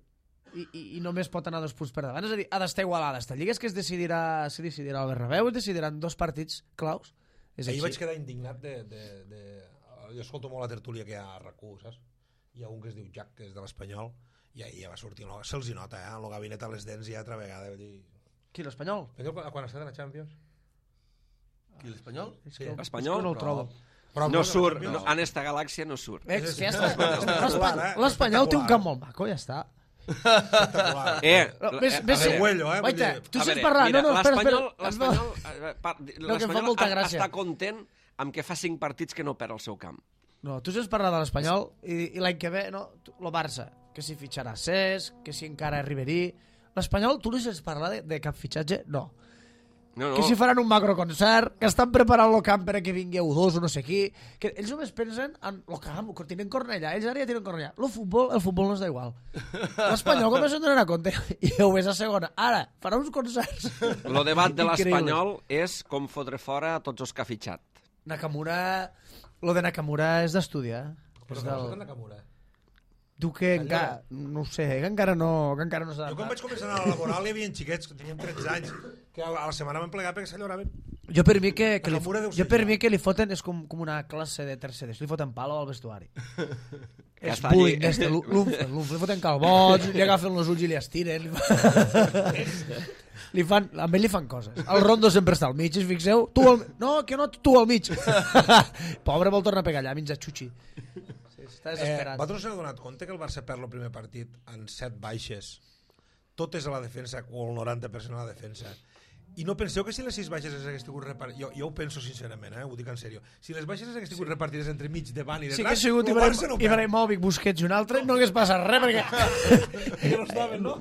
i només pot anar 2 punts per davant. És a dir, ha d'estar igualada. Esta lliga és que es decidirà al Bernabéu, es decidiran 2 partits claus. És Ahir així. vaig quedar indignat Jo escolto molt la tertúlia que hi ha a RAC1, saps? Hi ha un que es diu Jack, que és de l'Espanyol, i ahir ja va sortir, se'ls hi nota, en el gabinet a les dents ja altra vegada. Vull dir... Qui, l'Espanyol? Quan ha estat a la Champions? Qui, l'Espanyol? Sí. Espanyol? És que no el trobo. Però No a la surt, Champions- en esta galàxia no surt. Ja està. L'Espanyol té un camp molt maco, ja està. Espectacular. Arregüello, Guaita, vull dir- tu saps parlar. No, espera. L'Espanyol molta gràcia. està content amb que fa 5 partits que no perd el seu camp. No, tu saps parlar de l'Espanyol i l'any que ve, no, el Barça, que si fitxarà Cesc, que si encara Ribery... L'Espanyol, tu li saps parlar de cap fitxatge? No. No, Que si faran un macroconcert, que estan preparant el camp perquè vingui U2 o no sé qui, que ells només pensen en el camp, que tenen Cornellà, ells ara ja tenen Cornellà. El futbol no és d'igual. L'Espanyol com se'n donarà compte? I ho ves a segona. Ara, farà uns concerts. El debat de Increïbles. l'Espanyol és com fotre fora a tots els que ha fitxat. Nakamura... Lo de Nakamura és d'estudiar. Però És que del... Nakamura. Tu que encara... No ho sé, que encara no s'ha Jo quan vaig començar a anar a la laboral hi havia xiquets que tenien 13 anys que a la setmana vam plegar perquè s'alloraven. Jo per mi que Nakamura deu jo ser per ja. mi que li foten és com una classe de tercer d'esto, li foten palo al vestuari. Que És està allí. bullying d'este, l'unf, li foten calbots, li agafen els ulls i li estiren. Amb ell li fan coses. El Rondo sempre està al mig, si fixeu. No, que no, tu al mig. Pobre vol tornar a pegar allà, menja xuxi. Sí, està desesperat. Vosaltres us heu donat compte que el Barça perd el primer partit en 7 baixes, totes a la defensa o el 90% a la defensa, i no penseu que si les 6 baixes hagués tingut repartides, jo ho penso sincerament, ho dic en sèrio, si les baixes hagués tingut repartides entre mig, davant i Sí que detrás, ha sigut el Barça no perd. Ibrahimovic, Busquets i un altre, no hagués passat res, perquè... Que no estaven, no?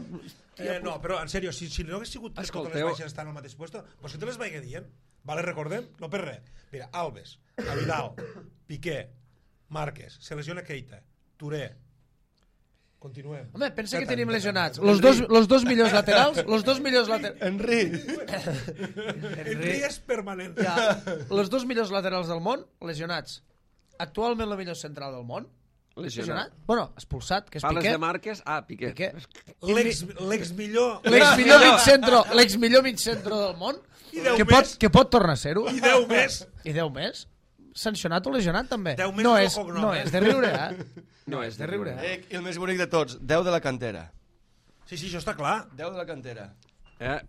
No, però en sèrio, si no hagués sigut que totes les Escolteu. baixes estan al mateix puesto, pues que te les vaig dient, vale, recordem? No per res. Mira, Alves, Vidal, Piqué, Márquez, se lesiona Keita, Touré. Continuem. Home, pensa que tenim lesionats. Los dos millors laterals, Henry! Henry és permanent. Ja, los dos millors laterals del món, lesionats. Actualment el millor central del món, lesionat. Bueno, expulsat, que és Parles Piqué. de Márquez? Ah, Piqué. Piqué. L'ex millor... L'ex millor mig centro del món, I 10 més. que pot tornar a ser-ho. I 10 més. I 10 més. Sancionat o lesionat, també. 10 més No és és, el cognom, no és de riure, No és de riure. eh? I el més bonic de tots, 10 de la cantera. Sí, això està clar. 10 de la cantera.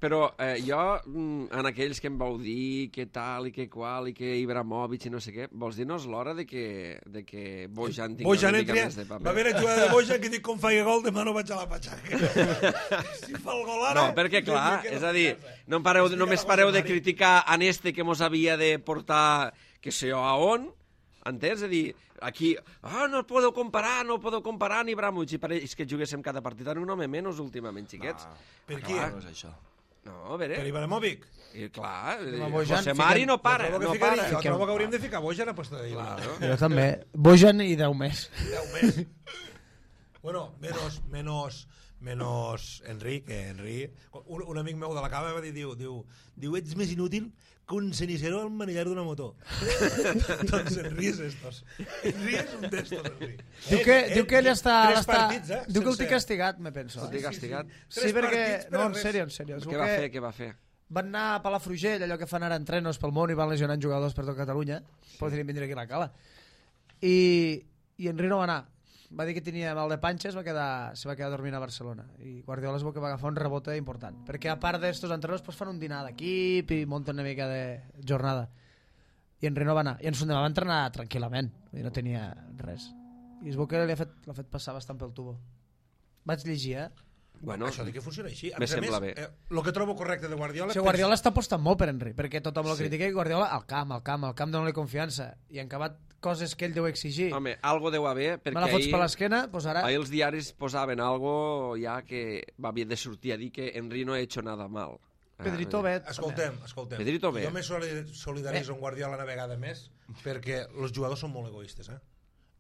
Però jo, en aquells que em vau dir que tal i que qual i que Ibrahimovic i no sé què, vols dir-nos l'hora de que Bojan tingui Bojan una mica entra, més de paper? va haver la jugada de Bojan que dic com faig gol, demà no vaig a la patxaca. Si fa el gol ara... No, perquè clar, és a dir, només pareu de criticar en este que mos havia de portar que sé jo a on, entens? És a dir, aquí, no podeu comparar ni Ibrahimovic, i pareix que juguéssim cada partit en un home menys últimament, xiquets. Per qui? No és això. No, a veure... Per Ibrahimovic. I clar, Bojan, José Mari no para, Jo no trobo para. que hauríem de ficar Bojan a posta de Ibrahimovic. Claro. Jo també. Bojan i 10 més. 10 més. Bueno, menos Henry, que Henry... Un amic meu de la cava va dir, diu, ets més inútil con cenicero al manillar d'una moto. Doncs Henry és estos. Henry és un d'estos, Henry. Diu que ell està... Tres partits, Diu que el té castigat, me penso. El té castigat. Sí, perquè... No, en sèrio. Què va fer? Van anar a Palafrugell, allò que fan ara entrenos pel món i van lesionant jugadors per tot Catalunya. Podrien vindre aquí a la cala. I Henry no va anar. Va dir que tenia mal de panxa, se va quedar dormint a Barcelona. I Guardiola es veu que va agafar un rebote important. Perquè a part d'estos entrenos pues, fan un dinar d'equip i munten una mica de jornada. I Henry no va anar. I en Sundemà va entrenar tranquil·lament. I no tenia res. I es veu que l'ha fet passar bastant pel tubo. Vaig llegir, Bueno, això de que funciona així. Me sembla bé. El que trobo correcte de Guardiola... Si Guardiola està apostant molt per Henry, perquè tothom el critica i Guardiola al camp dona-li confiança. I en acabat coses que ell deu exigir. Home, algo deu haver, perquè me la fots per l'esquena, pues ara... Ahir els diaris posaven algo ja que va haver de sortir a dir que Henry no ha hecho nada mal. Pedrito bé. Escoltem. Pedrito bé. Jo me solidaritzo amb Guardiola una vegada més perquè els jugadors són molt egoistes,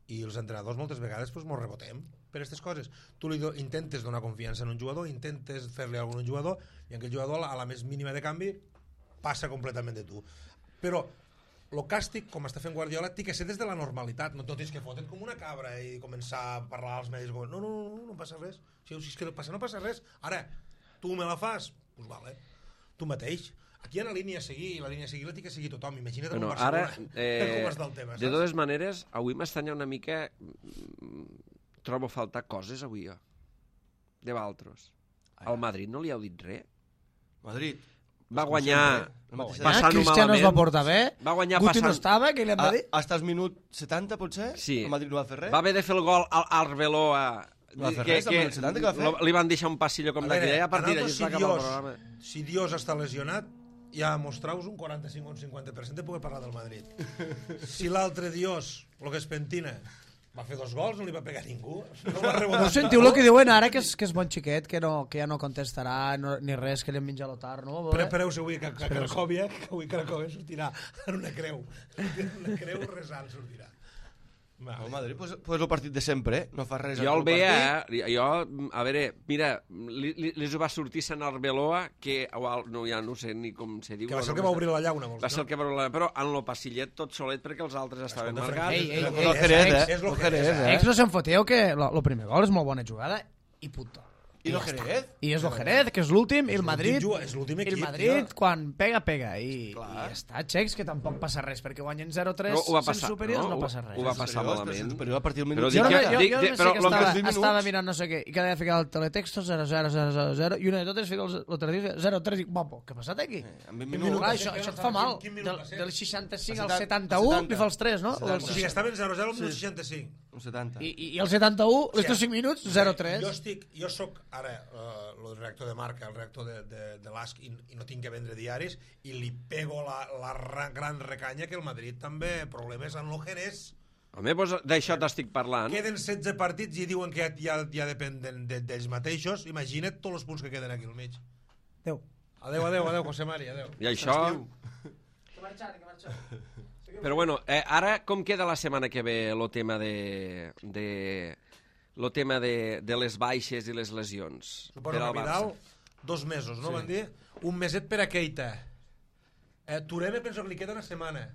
i els entrenadors moltes vegades pues, mos rebotem per aquestes coses. Tu intentes donar confiança en un jugador, intentes fer-li alguna a un jugador i aquell jugador a la més mínima de canvi passa completament de tu. Però el càstig, com està fent Guardiola, té que ser des de la normalitat. No tens que fotre't com una cabra i començar a parlar als medis com, no passa res. Si és que no passa res. Ara, tu me la fas? Doncs vale. Tu mateix. Aquí hi ha una línia a seguir, i la línia a seguir la té que seguir tothom. Imagina't bueno, Barcelona com està el tema. De totes maneres, avui m'estanya una mica... Trobo faltar coses avui, jo. De Valtros. Al Madrid no li heu dit res? Madrid. Va guanyar passant-ho Cristiano es va portar bé. Va guanyar Guti no estava, què li hem de dir? Hasta el minut 70, potser? Sí. El Madrid no va fer res? Va haver de fer el gol al Arbeloa... No va fer res, el minut 70 que va fer? Li van deixar un passillo com d'aquella i a partir d'allí es va acabar el programa. Si Dios està lesionat, ja mostrau-vos un 45 o un 50% de poder parlar del Madrid. Si l'altre Dios, el que es pentina, va fer 2 gols, no li va pegar ningú. No sentiu el que diuen ara, que és bon xiquet, que ja no contestarà ni res, que li han menjat l'otar, no? Prepareu-se avui que Cracòvia sortirà en una creu. Una creu resant sortirà. El Madrid, pues el partit de sempre, no fa res. Jo el veia, a veure, mira, li va sortir Sant Arbeloa, que ja no sé ni com se diu. Que va ser el que va obrir la llauna, vols dir? Va ser el que va obrir la llauna, però en el passillet tot solet perquè els altres estaven marcats. És lo Jerez, Ex no se'n foteu que el primer gol és molt bona jugada i puto. I el Jerez? I és el Jerez, que és l'últim, i el Madrid... És l'últim equip. El Madrid, quan pega. I està xecs, que tampoc passa res, perquè guanyen 0-3 sent superiors, no passa res. Ho va passar malament. Però a partir del minut... Jo estava mirant no sé què, i cada dia ficava el teletexto 0-0-0-0-0, i una de totes fica l'altre dia 0-3, i guapo, què ha passat aquí? Això et fa mal. Del 65 al 71 li fa els 3, no? O sigui, estaven 0-0 al minut 65. Un 70. I el 71, estos 5 minuts, 0-3. Jo soc ara el redactor de marca, el redactor de l'ASC, i no tinc que vendre diaris, i li pego la gran recanya que el Madrid també problemes en el Jerez. Home, doncs d'això t'estic parlant. Queden 16 partits i diuen que ja depenen d'ells mateixos. Imagina't tots els punts que queden aquí al mig. Adéu, José Mari, adéu. I això... Que marxar. Però bueno, ara com queda la setmana que ve el tema de les baixes i les lesions? Suposo que Vidal, 2 mesos, no van dir? Un meset per a Keita. Tureme penso que li queda una setmana.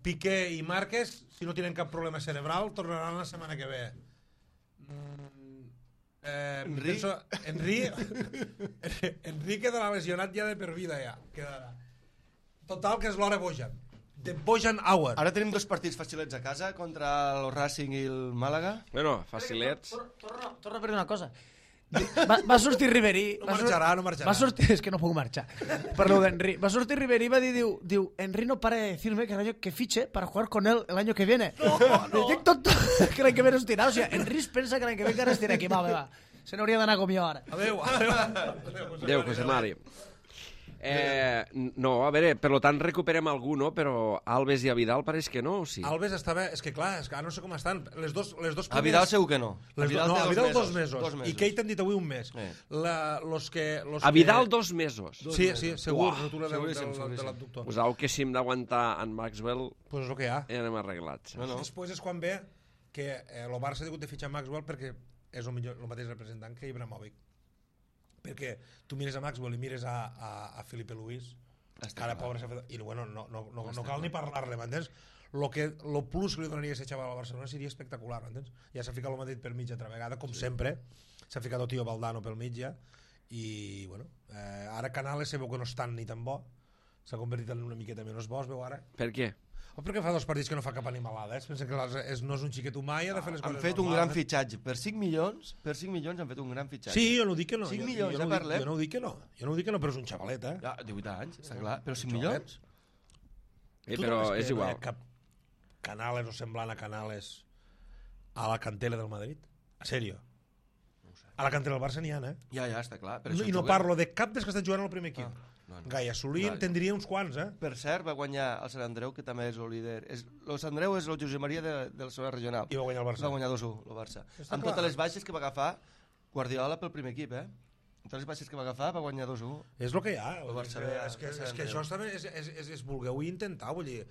Piqué i Márquez, si no tenen cap problema cerebral, tornaran la setmana que ve. Henry quedarà lesionat ja de per vida, ja. Quedarà. Total, que és l'hora Bojan. De Bojan Hour. Ara tenim 2 partits facilets a casa contra el Racing i el Màlaga. Bueno, facilets. Torna a dir una cosa. Va sortir Ribery. No marxarà. Va sortir, és que no puc marxar. Parlo d'Henry. Va sortir Ribery i va dir, diu, Henry no para de decirme que fiche para jugar con él el año que viene. No. Dic tot que l'any que ve no estirà. O sigui, Henry es pensa que l'any que ve encara estirà aquí. Va. Se n'hauria d'anar com jo ara. Adéu, José Mari. No, a veure, per tant recuperem algú, no? Però Alves i a Vidal pareix que no, o sí? Alves estava... És que clar, no sé com estan. Les dos primers... A Vidal segur que no. A Vidal 2 mesos. I Keita han dit avui un mes. A Vidal 2 mesos? Sí, segur. Rotura de l'abductor. Pues au que si hem d'aguantar en Maxwell... Pues és el que hi ha. Ja anem arreglats. Després és quan ve que el Barça ha hagut de fitxar Maxwell perquè és el mateix representant que Ibrahimovic. perquè tu mires a Maxwell i mires a Felipe Luis, cara pobre, i bueno, no cal ni parlar-le, m'entens? Lo plus que li donaria a aquest xaval al Barcelona seria espectacular, m'entens? Ja s'ha ficat el Madrid per mig altra vegada, com sempre, s'ha ficat el tio Valdano pel mig ja, i bueno, ara Canales se veu que no és tan ni tan bo, s'ha convertit en una miqueta menys bo, es veu ara. Per què? O perquè fa 2 partits que no fa cap animalada, es pensa que no és un xiquet humà i ha de fer les coses han fet un gran fitxatge, per 5 milions han fet un gran fitxatge. Sí, jo no dic que no. 5 milions, jo parlem. Jo no dic que no, però és un xavalet, Ja, 18 anys, està clar, però 5 milions? Però és igual. Cap Canales o semblant a Canales a la cantera del Madrid? A sèrio? A la cantera del Barça n'hi ha, eh? Ja, està clar. I no parlo de cap dels que estan jugant al primer equip. No. Gaia Solín tindria uns quants, eh? Per cert, va guanyar el Sant Andreu, que també és el líder. El Sant Andreu és el Josep Maria de la segona regional. I va guanyar el Barça. Va guanyar 2-1, el Barça. Amb totes les baixes que va agafar Guardiola pel primer equip, eh? Amb totes les baixes que va agafar va guanyar 2-1. És el que hi ha. El Barça és que això també és volgueu intentar, vull dir,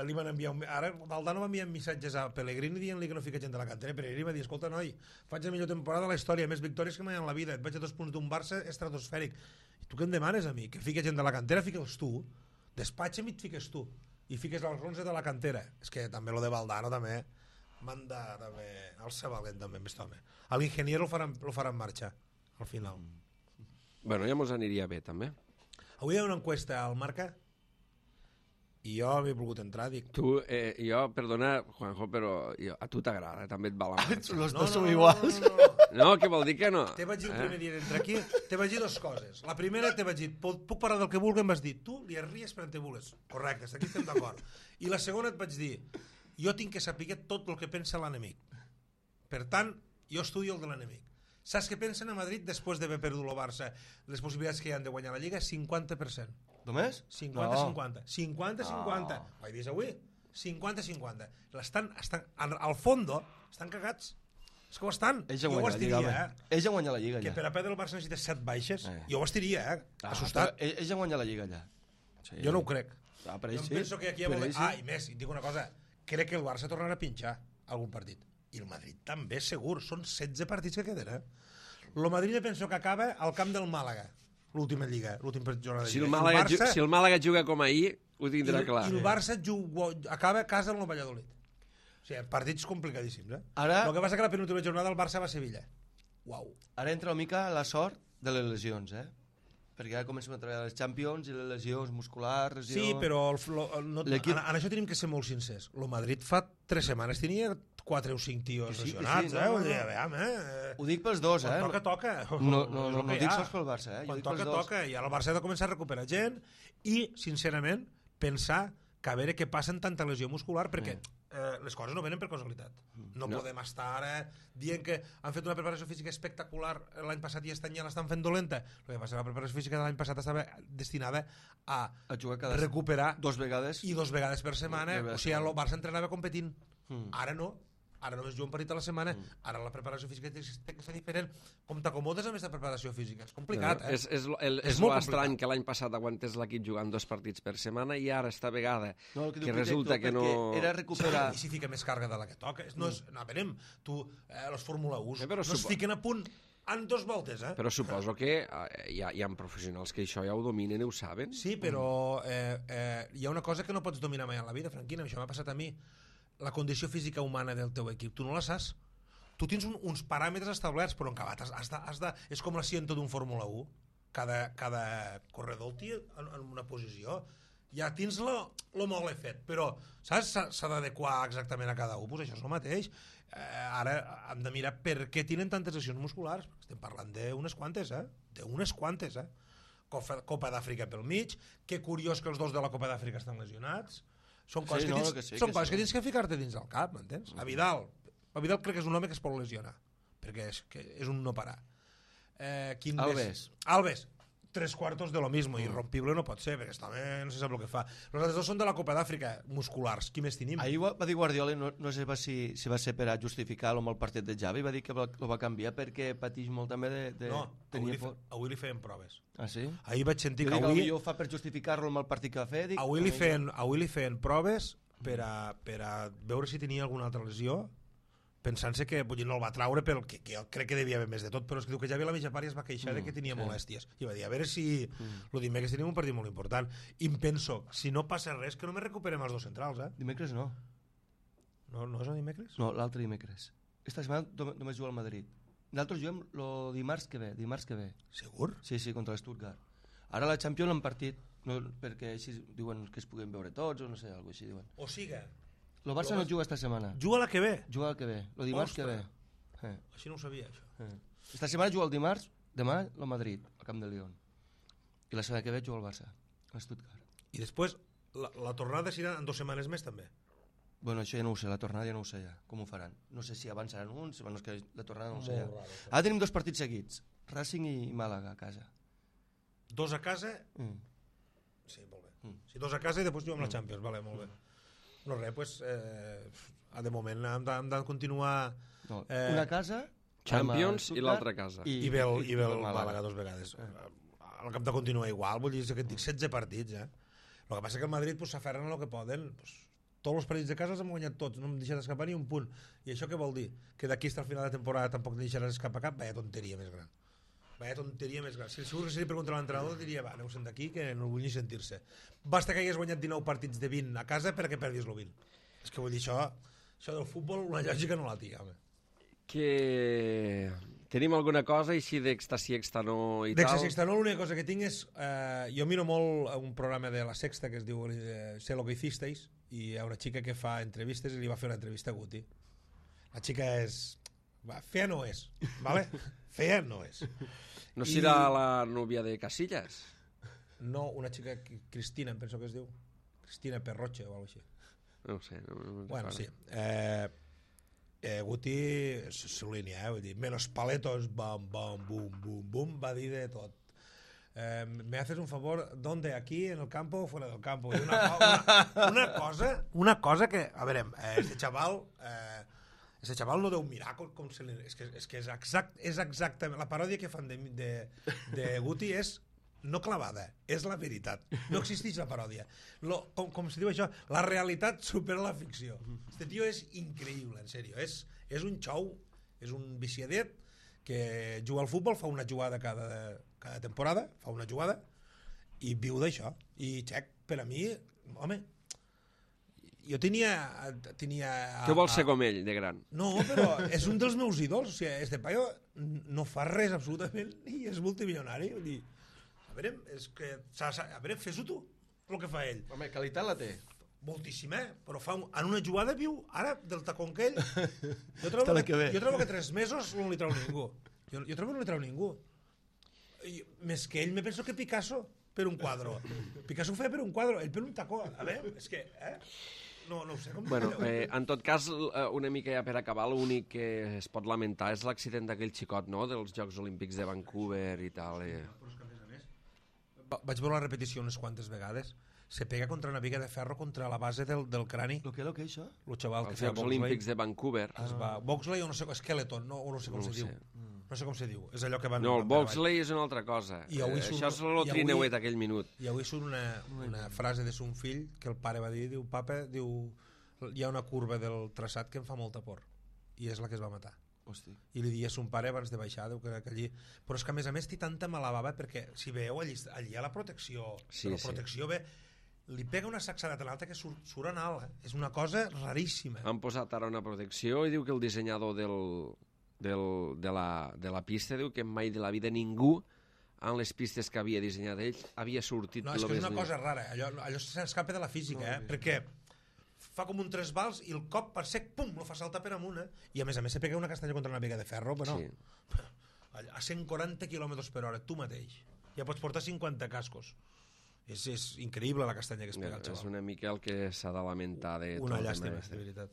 li van enviar ara Valdano va enviar missatges a Pellegrini dient-li que no fica gent de la cantera. Pellegrini va dir, escolta noi, faig la millor temporada de la història, més victòries que mai en la vida, et vaig a 2 punts d'un Barça estratosfèric. I tu què em demanes a mi? Que fica gent de la cantera, fique'ls tu, despatxa'm i et fiques tu, i fiques els 11 de la cantera. És que també lo de Valdano també manda també el Sabalent també amb aquest home. L'ingeniero lo farà en marxa al final. Bueno, ja mos aniria bé també. Avui hi ha una encuesta al Marca i jo m'he volgut entrar, dic... Tu, jo, perdona, Juanjo, però a tu t'agrada, també et va la marxa. Los dos som iguals. No, què vol dir que no? Te vaig dir el primer dia d'entrar aquí, te vaig dir 2 coses. La primera te vaig dir, puc parlar del que vulgui, em vas dir, tu li arries per on te vulguis. Correcte, aquí estem d'acord. I la segona et vaig dir, jo tinc que saber tot el que pensa l'enemic. Per tant, jo estudio el de l'enemic. Saps què pensen a Madrid després d'haver perdut el Barça? Les possibilitats que hi han de guanyar la Lliga, 50%. Només? 50-50. 50-50. Ho he vist avui? 50-50. Al fondo, estan cagats. És que ho estan. Ells han jo ho guanyat la Lliga, estiria, Ells han guanyat la Lliga, que ja. per a perdre el Barça necessites 7 baixes. Jo ho estiria, assustat. Ells han guanyat la Lliga, ja. Sí. Jo no ho crec. Per Jo ells sí. penso que aquí hi ha i més, i et dic una cosa, crec que el Barça tornarà a pinxar algun partit. I el Madrid també, segur. Són 16 partits que queden, El Madrid penso que acaba al camp del Màlaga, l'última Lliga, l'última jornada de Lliga. Si el Màlaga juga com ahir, ho tindrà clar. I el Barça acaba a casa amb el Valladolid. O sigui, partits complicadíssims, Ara... El que passa que la penúltima jornada el Barça va a Sevilla. Uau. Ara entra una mica la sort de les lesions, perquè ara comencem a treballar les Champions i les lesions musculars, lesions... Sí, però en això tenim que ser molt sincers. El Madrid fa 3 setmanes tenia 4 o 5 tios lesionats, Ho dic pels dos, Quan toca. No dic sols pel Barça, Quan toca. I ara el Barça ha de començar a recuperar gent i, sincerament, pensar que a veure què passa en tanta lesió muscular, perquè les coses no venen per casualitat. No podem estar ara dient que han fet una preparació física espectacular l'any passat i aquest any ja l'estan fent dolenta. El que passa, la preparació física de l'any passat estava destinada a jugar recuperar 2 vegades i 2 vegades per setmana. O sigui, el Barça entrenava competint. Ara no. Ara només juga un partit a la setmana. Ara la preparació física té que ser diferent. Com t'acomodes amb aquesta preparació física? És complicat, És molt estrany que l'any passat aguantés l'equip jugant 2 partits per setmana i ara esta vegada que resulta que no... Era recuperar... I si fica més càrrega de la que toca? No, veurem, tu, els Fórmula 1 no es fiquen a punt en 2 voltes, Però suposo que hi ha professionals que això ja ho dominen i ho saben. Sí, però hi ha una cosa que no pots dominar mai en la vida, Franquina, això m'ha passat a mi. La condició física humana del teu equip, tu no la saps. Tu tens uns paràmetres establerts, però en acabat és com l'assiento d'un Fórmula 1. Cada corredor el té en una posició. Ja tens lo molt fet, però saps? S'ha d'adequar exactament a cada un. Pues això és el mateix. Ara hem de mirar per què tenen tantes lesions musculars. Estem parlant d'unes quantes, D'unes quantes, Copa d'Àfrica pel mig. Que curiós que els 2 de la Copa d'Àfrica estan lesionats. Són coses que tens que ficar-te dins del cap, m'entens? A Vidal crec que és un home que es pot lesionar, perquè és un no parar. Alves, 3/4 de lo mismo, irrompible no pot ser, perquè també no se sap el que fa. Els altres 2 són de la Copa d'Àfrica, musculars, qui més tenim? Ahir va dir Guardiola, no sé si va ser per a justificar-lo amb el partit de Xavi, va dir que ho va canviar perquè pateix molt també de... No, avui li feien proves. Ah, sí? Ahir vaig sentir que avui... ho fa per justificar-lo amb el partit que va fer. Avui li feien proves per a veure si tenia alguna altra lesió pensant-se que vull dir, no el va traure pel que jo crec que devia haver més de tot, però és que diu que ja ve la mitja part i es va queixar de que tenia molèsties i va dir, a veure si el dimecres tenim un partit molt important i em penso, si no passa res que només recuperem els dos centrals, Dimecres no. No és el dimecres? No, l'altre dimecres. Esta setmana només juga al Madrid. Nosaltres juguem el dimarts que ve. Segur? Sí, contra l'Stuttgart. Ara la Champions l'han partit, no, perquè així diuen que es puguem veure tots o no sé, alguna així diuen. O siga, El Barça no juga esta setmana. juga la que ve. Juga el que ve, el dimarts que ve. Així no ho sabia, això. Esta setmana juga el dimarts, demà el Madrid, al Camp de León. I la setmana que ve juga el Barça, a Stuttgart. I després, la tornada serà en 2 setmanes més, també. Bueno, això ja no ho sé, la tornada ja no ho sé ja, com ho faran. No sé si avançaran uns, bueno, és que la tornada no ho sé ja. Molt raro, Ara tenim 2 partits seguits, Racing i Màlaga a casa. 2 a casa. Sí, molt bé. Sí, 2 a casa i després juguem la Champions, vale, molt bé. No res, pues, de moment hem de continuar... No, una casa... Champions i l'altra casa. I ve el Màlaga 2 vegades. El cap de continuar igual, vull dir que et dic 16 partits, El que passa que el Madrid s'aferren a el que poden, tots els partits de casa els hem guanyat tots, no em deixat escapar ni un punt. I això què vol dir? Que d'aquí fins al final de temporada tampoc no deixaràs escapar cap? Vaya tonteria més gran. Si segur que seria per contra l'entrenador diria, va, aneu-se'n d'aquí que no vull ni sentir-se. Basta que hagués guanyat 19 partits de 20 a casa perquè perdis el 20. És que vull dir, això del futbol una lògica no la tinc, home. Que tenim alguna cosa així d'Èxtasi Extanó i tal? D'Èxtasi Extanó l'única cosa que tinc és jo miro molt un programa de La Sexta que es diu Sé lo que hicisteis i hi ha una xica que fa entrevistes i li va fer una entrevista a Guti. La xica és... fea no és, ¿vale? Fea no és. No serà la núvia de Casillas? No, una xica Cristina, em penso que es diu. Cristina Perroche o alguna cosa així. No ho sé. No bueno, sí. Guti és línia, vull dir, menos paletos, bam, bam, bum, bum, bum, va dir de tot. ¿Me haces un favor? ¿Dónde? ¿Aquí, en el campo o fuera del campo? I una cosa que, a veure, este chaval no deu mirar com se li... És que és exactament... La paròdia que fan de Guti és no clavada, és la veritat. No existeix la paròdia. Com se diu això? La realitat supera la ficció. Este tio és increïble, en sèrio. És un xou, és un viciadet que juga al futbol, fa una jugada cada temporada, fa una jugada i viu d'això. I xec, per a mi, home, jo tenia... Què vols ser com ell, de gran? No, però és un dels meus ídols. O sigui, este paio no fa res absolutament i és multimilionari. Vull dir, a veure, fes-ho tu, el que fa ell. Home, qualitat la té. Moltíssima, però en una jugada viu, ara, del tacón que ell. Jo trobo que 3 mesos no li treu ningú. Jo trobo que no li treu ningú. Més que ell, me penso que Picasso per un quadre. Picasso ho feia per un quadre, ell per un tacó. A veure, és que... No ho sé com... Bueno, en tot cas, una mica ja per acabar, l'únic que es pot lamentar és l'accident d'aquell xicot, no?, dels Jocs Olímpics de Vancouver i tal. Però és que, a més, vaig veure la repetició unes quantes vegades. Se pega contra una viga de ferro contra la base del crani. Lo que això? El xaval que Els Jocs Olímpics de Vancouver. Boxley o no sé, Skeleton, no sé com se diu. No sé com se diu. És allò que van... No, el Boxley és una altra cosa. Això és el trineuet aquell minut. I avui surt una frase de son fill que el pare va dir, diu, papa, diu, hi ha una curva del traçat que em fa molta por. I és la que es va matar. Hosti. I li dia a son pare abans de baixar, diu que allí... Però és que a més té tanta mala bava perquè si veieu allí hi ha la protecció. Sí, la protecció ve... Li pega una sacsada tan alta que surt en alt. És una cosa raríssima. Han posat ara una protecció i diu que el dissenyador de la pista diu que mai de la vida ningú en les pistes que havia dissenyat ell havia sortit... No, és que és una cosa rara. Allò s'escapa de la física, perquè fa com un 3 vals i el cop per sec, pum, lo fa saltar per amunt, i a més se pega una castanya contra una viga de ferro, però no. Sí. A 140 km/h, tu mateix. Ja pots portar 50 cascos. És increïble la castanya que es pega el xaval. És una mica el que s'ha de lamentar de una llàstima, de veritat.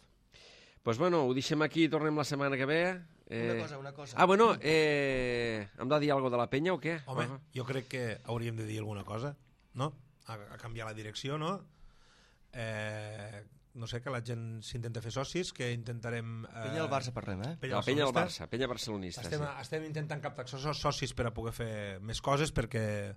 Pues bueno, ho deixem aquí i tornem la setmana que ve. Una cosa. Ah, bueno, hem de dir alguna cosa de la penya o què? Home, jo crec que hauríem de dir alguna cosa, no? A canviar la direcció, no? No sé, que la gent s'intenta fer socis, que intentarem... Penya al Barça parlem, La penya al Barça, penya barcelonista. Estem intentant captar socis per a poder fer més coses, perquè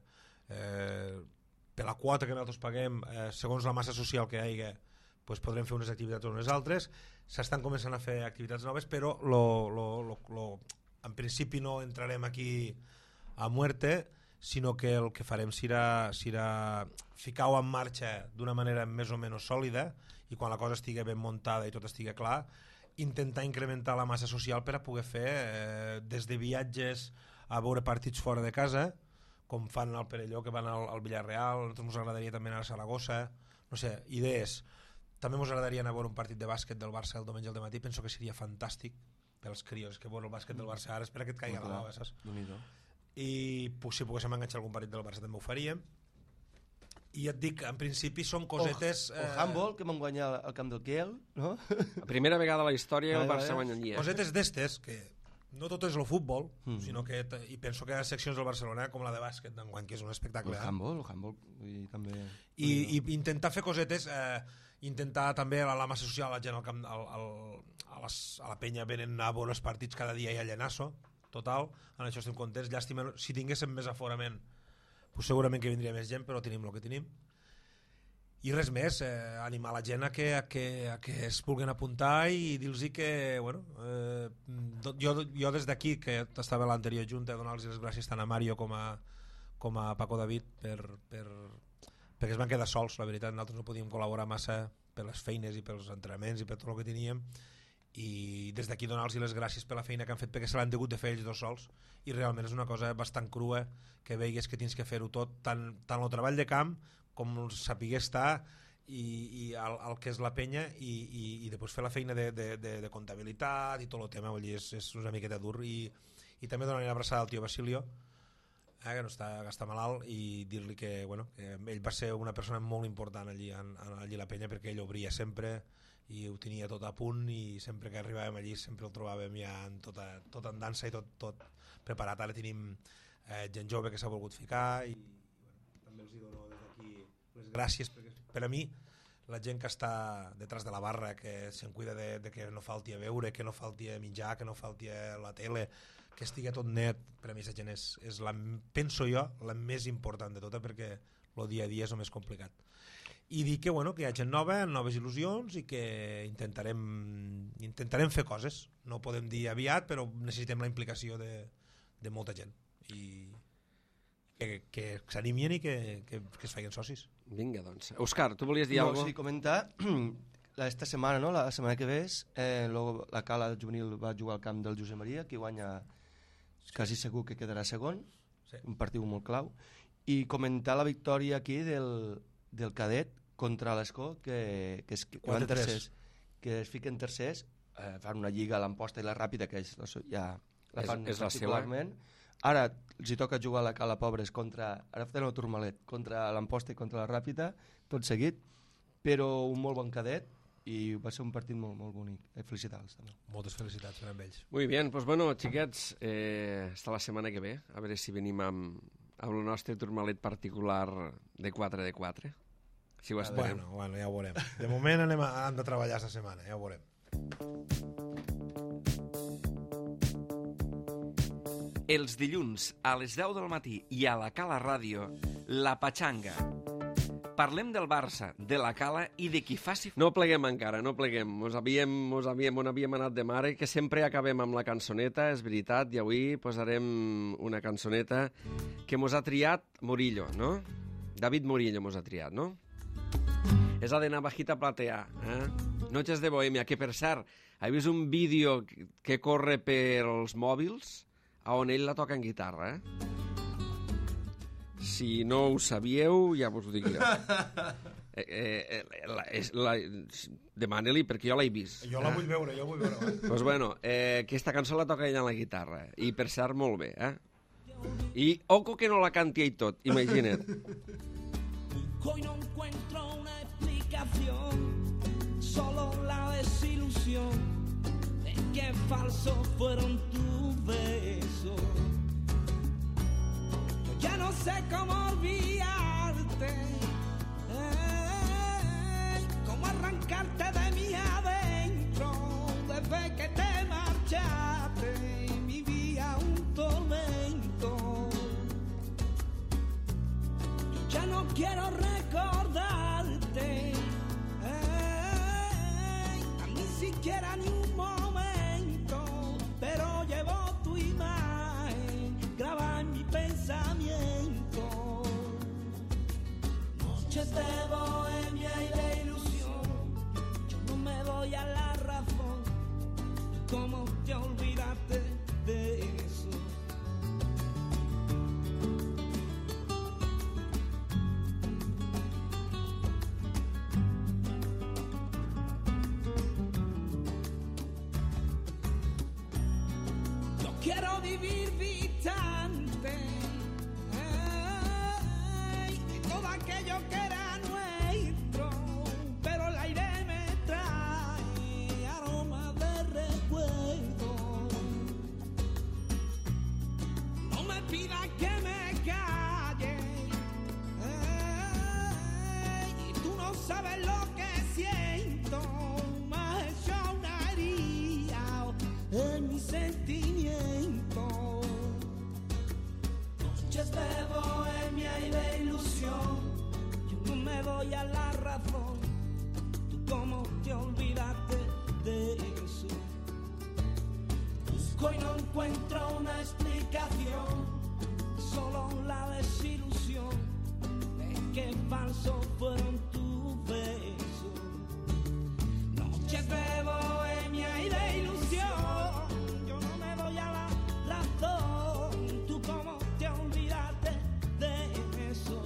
per la quota que nosaltres paguem, segons la massa social que hi hagi, pues podrem fer unes activitats o unes altres. S'estan començant a fer activitats noves, però en principi no entrarem aquí a muerte, sinó que el que farem serà ficar-ho en marxa d'una manera més o menys sòlida, i quan la cosa estigui ben muntada i tot estigui clar, intentar incrementar la massa social per a poder fer des de viatges a veure partits fora de casa, com fan al Perelló, que van al Villarreal. A nosaltres ens agradaria també anar a Saragossa, no sé, idees. També ens agradaria anar a veure un partit de bàsquet del Barça el diumenge al matí, penso que seria fantàstic pels crios, que veure el bàsquet del Barça ara, espera que et caigui la bava, saps? I si poguéssim enganxar algun partit del Barça també ho faríem. I et dic, en principi són cosetes... O handball, que vam guanyar al camp del Kiel, no? La primera vegada a la història el Barça guanyaria. Cosetes d'estes, que no tot és el futbol, sinó que, i penso que hi ha seccions del Barcelona com la de bàsquet d'enguany, que és un espectacle. El handball, i també... I intentar fer cosetes, intentar també a la massa social, la gent al camp, a la penya venen a veure els partits cada dia i a llenasso, total, en això estem contents. Llàstima, si tinguéssim més aforament, pues segurament que vindria més gent, però tenim el que tenim. I res més, animar la gent a que es vulguin apuntar i dir-los que, bueno, jo des d'aquí, que estava a l'anterior junta, donar-los les gràcies tant a Mario com a Paco David perquè es van quedar sols, la veritat. Nosaltres no podíem col·laborar massa per les feines i pels entrenaments i per tot el que teníem, i des d'aquí donar-los les gràcies per la feina que han fet, perquè se l'han hagut de fer ells dos sols, i realment és una cosa bastant crua que veigues que tens que fer-ho tot, tant el treball de camp com saber estar i el que és la penya, i després fer la feina de comptabilitat i tot el tema. Vull dir, és una miqueta dur. I també donar una abraçada al tio Basilio, que no està malalt, i dir-li que, bueno, que ell va ser una persona molt important allí a la penya, perquè ell obria sempre i ho tenia tot a punt, i sempre que arribàvem allí sempre el trobàvem ja tot en dansa i tot preparat. Ara tenim gent jove que s'ha volgut ficar, i també els dono des d'aquí les gràcies, perquè per a mi la gent que està detrás de la barra, que se'n cuida de que no falti a beure, que no falti a menjar, que no falti a la tele, que estigui tot net, per a mi aquesta gent és penso jo, la més important de tota, perquè el dia a dia és el més complicat. I dir que, bueno, que hi ha gent nova, noves il·lusions, i que intentarem fer coses. No podem dir aviat, però necessitem la implicació de molta gent, i que s'animin i que es facin socis. Vinga, doncs. Òscar, tu volies dir alguna cosa? Sí, comentar, esta setmana, no? La setmana que ve, la Cala juvenil va jugar al camp del Josep Maria, que guanya, quasi segur que quedarà segon, sí. Un partit molt clau, i comentar la victòria aquí del cadet contra l'Escó, que van tercers, que es fiquen tercers, fan una lliga a l'Amposta i la Ràpida, que ja la fan particularment. Ara els hi toca jugar a la Cala Pobres ara fem el Turmalet, contra l'Amposta i contra la Ràpida, tot seguit, però un molt bon cadet, i va ser un partit molt, molt bonic. Felicitats també. Moltes felicitats per a ells. Muy bien, pues bueno, xiquets, hasta la setmana que ve, a veure si venim amb el nostre Turmalet particular de 4x4. Si ho esperem. Bueno, ja ho veurem. De moment hem de treballar aquesta setmana, ja ho veurem. Els dilluns a les 10 del matí i a la Cala Ràdio, La Patxanga. Parlem del Barça, de la Cala i de qui faci... No pleguem encara, no pleguem. On havíem anat de mare, que sempre acabem amb la cançoneta, és veritat, i avui posarem una cançoneta que mos ha triat Murillo, no? David Murillo mos ha triat, no? És la de Navajita Platea, Noches de Bohemia, que per cert, he vist un vídeo que corre pels mòbils on ell la toca en guitarra, Si no ho sabíeu, ja vos ho dic jo. Demana-li, perquè jo l'he vist. Jo la vull veure, Doncs bueno, aquesta cançó la toca ella en la guitarra, i per cert molt bé, I oco que no la canti ell tot, imagina't. Hoy no encuentro una explicación, solo la desilusión de que falsos fueron tus besos. Yo ya no sé cómo olvidarte, cómo arrancarte de mí adentro. Desde que te marchaste vivía un tormento. Yo ya no quiero recordarte, quiera ni un momento, pero llevo tu imagen grabada en mi pensamiento. Noches de bohemia y de ilusión, yo no me doy a la razón. ¿Cómo te olvidaste de eso? Quiero vivir distante de todo aquello que era nuestro, pero el aire me trae aroma de recuerdo. No me pidas que me calle, y tú no sabes lo que siento. Me has hecho una herida en mi sentimiento. Noches de bohemia y de ilusión, yo no me doy a la razón. ¿Tú cómo te olvidaste de eso? Busco y no encuentro una explicación, solo la desilusión de que falsos fueron tus besos. Noches de bohemia y de ilusión, yo no me doy a la razón. ¿Tú cómo te olvidaste de eso?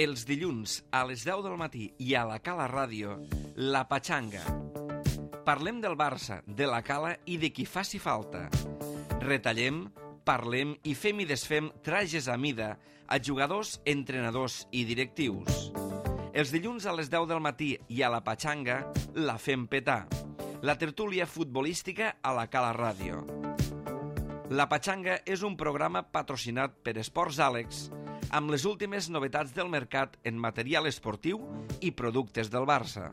Els dilluns a les 10 del matí i a la Cala Ràdio, La Patxanga. Parlem del Barça, de la Cala i de qui faci falta. Retallem, parlem i fem i desfem trajes a mida a jugadors, entrenadors i directius. Els dilluns a les 10 del matí i a La Patxanga la fem petar. La tertúlia futbolística a la Cala Ràdio. La Patxanga és un programa patrocinat per Esports Àlex, amb les últimes novetats del mercat en material esportiu i productes del Barça.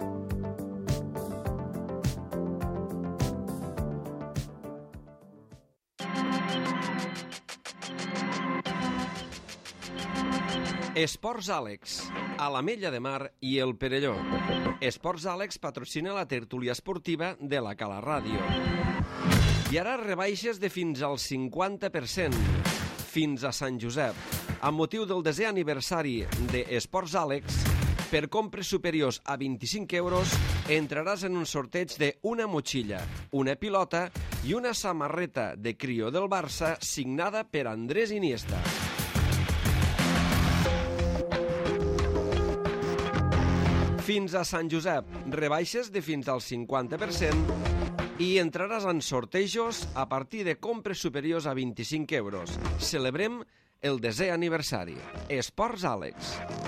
Esports Àlex, a l'Ametlla de Mar i el Perelló. Esports Àlex patrocina la tertúlia esportiva de la Cala Ràdio. I ara rebaixes de fins al 50%, fins a Sant Josep. Amb motiu del 10è aniversari d'Esports Àlex, per compres superiors a 25 euros, entraràs en un sorteig d'una motxilla, una pilota i una samarreta de Crio del Barça signada per Andrés Iniesta. Fins a Sant Josep, rebaixes de fins al 50% i entraràs en sortejos a partir de compres superiors a 25 euros. Celebrem el 10è aniversari. Esports Àlex.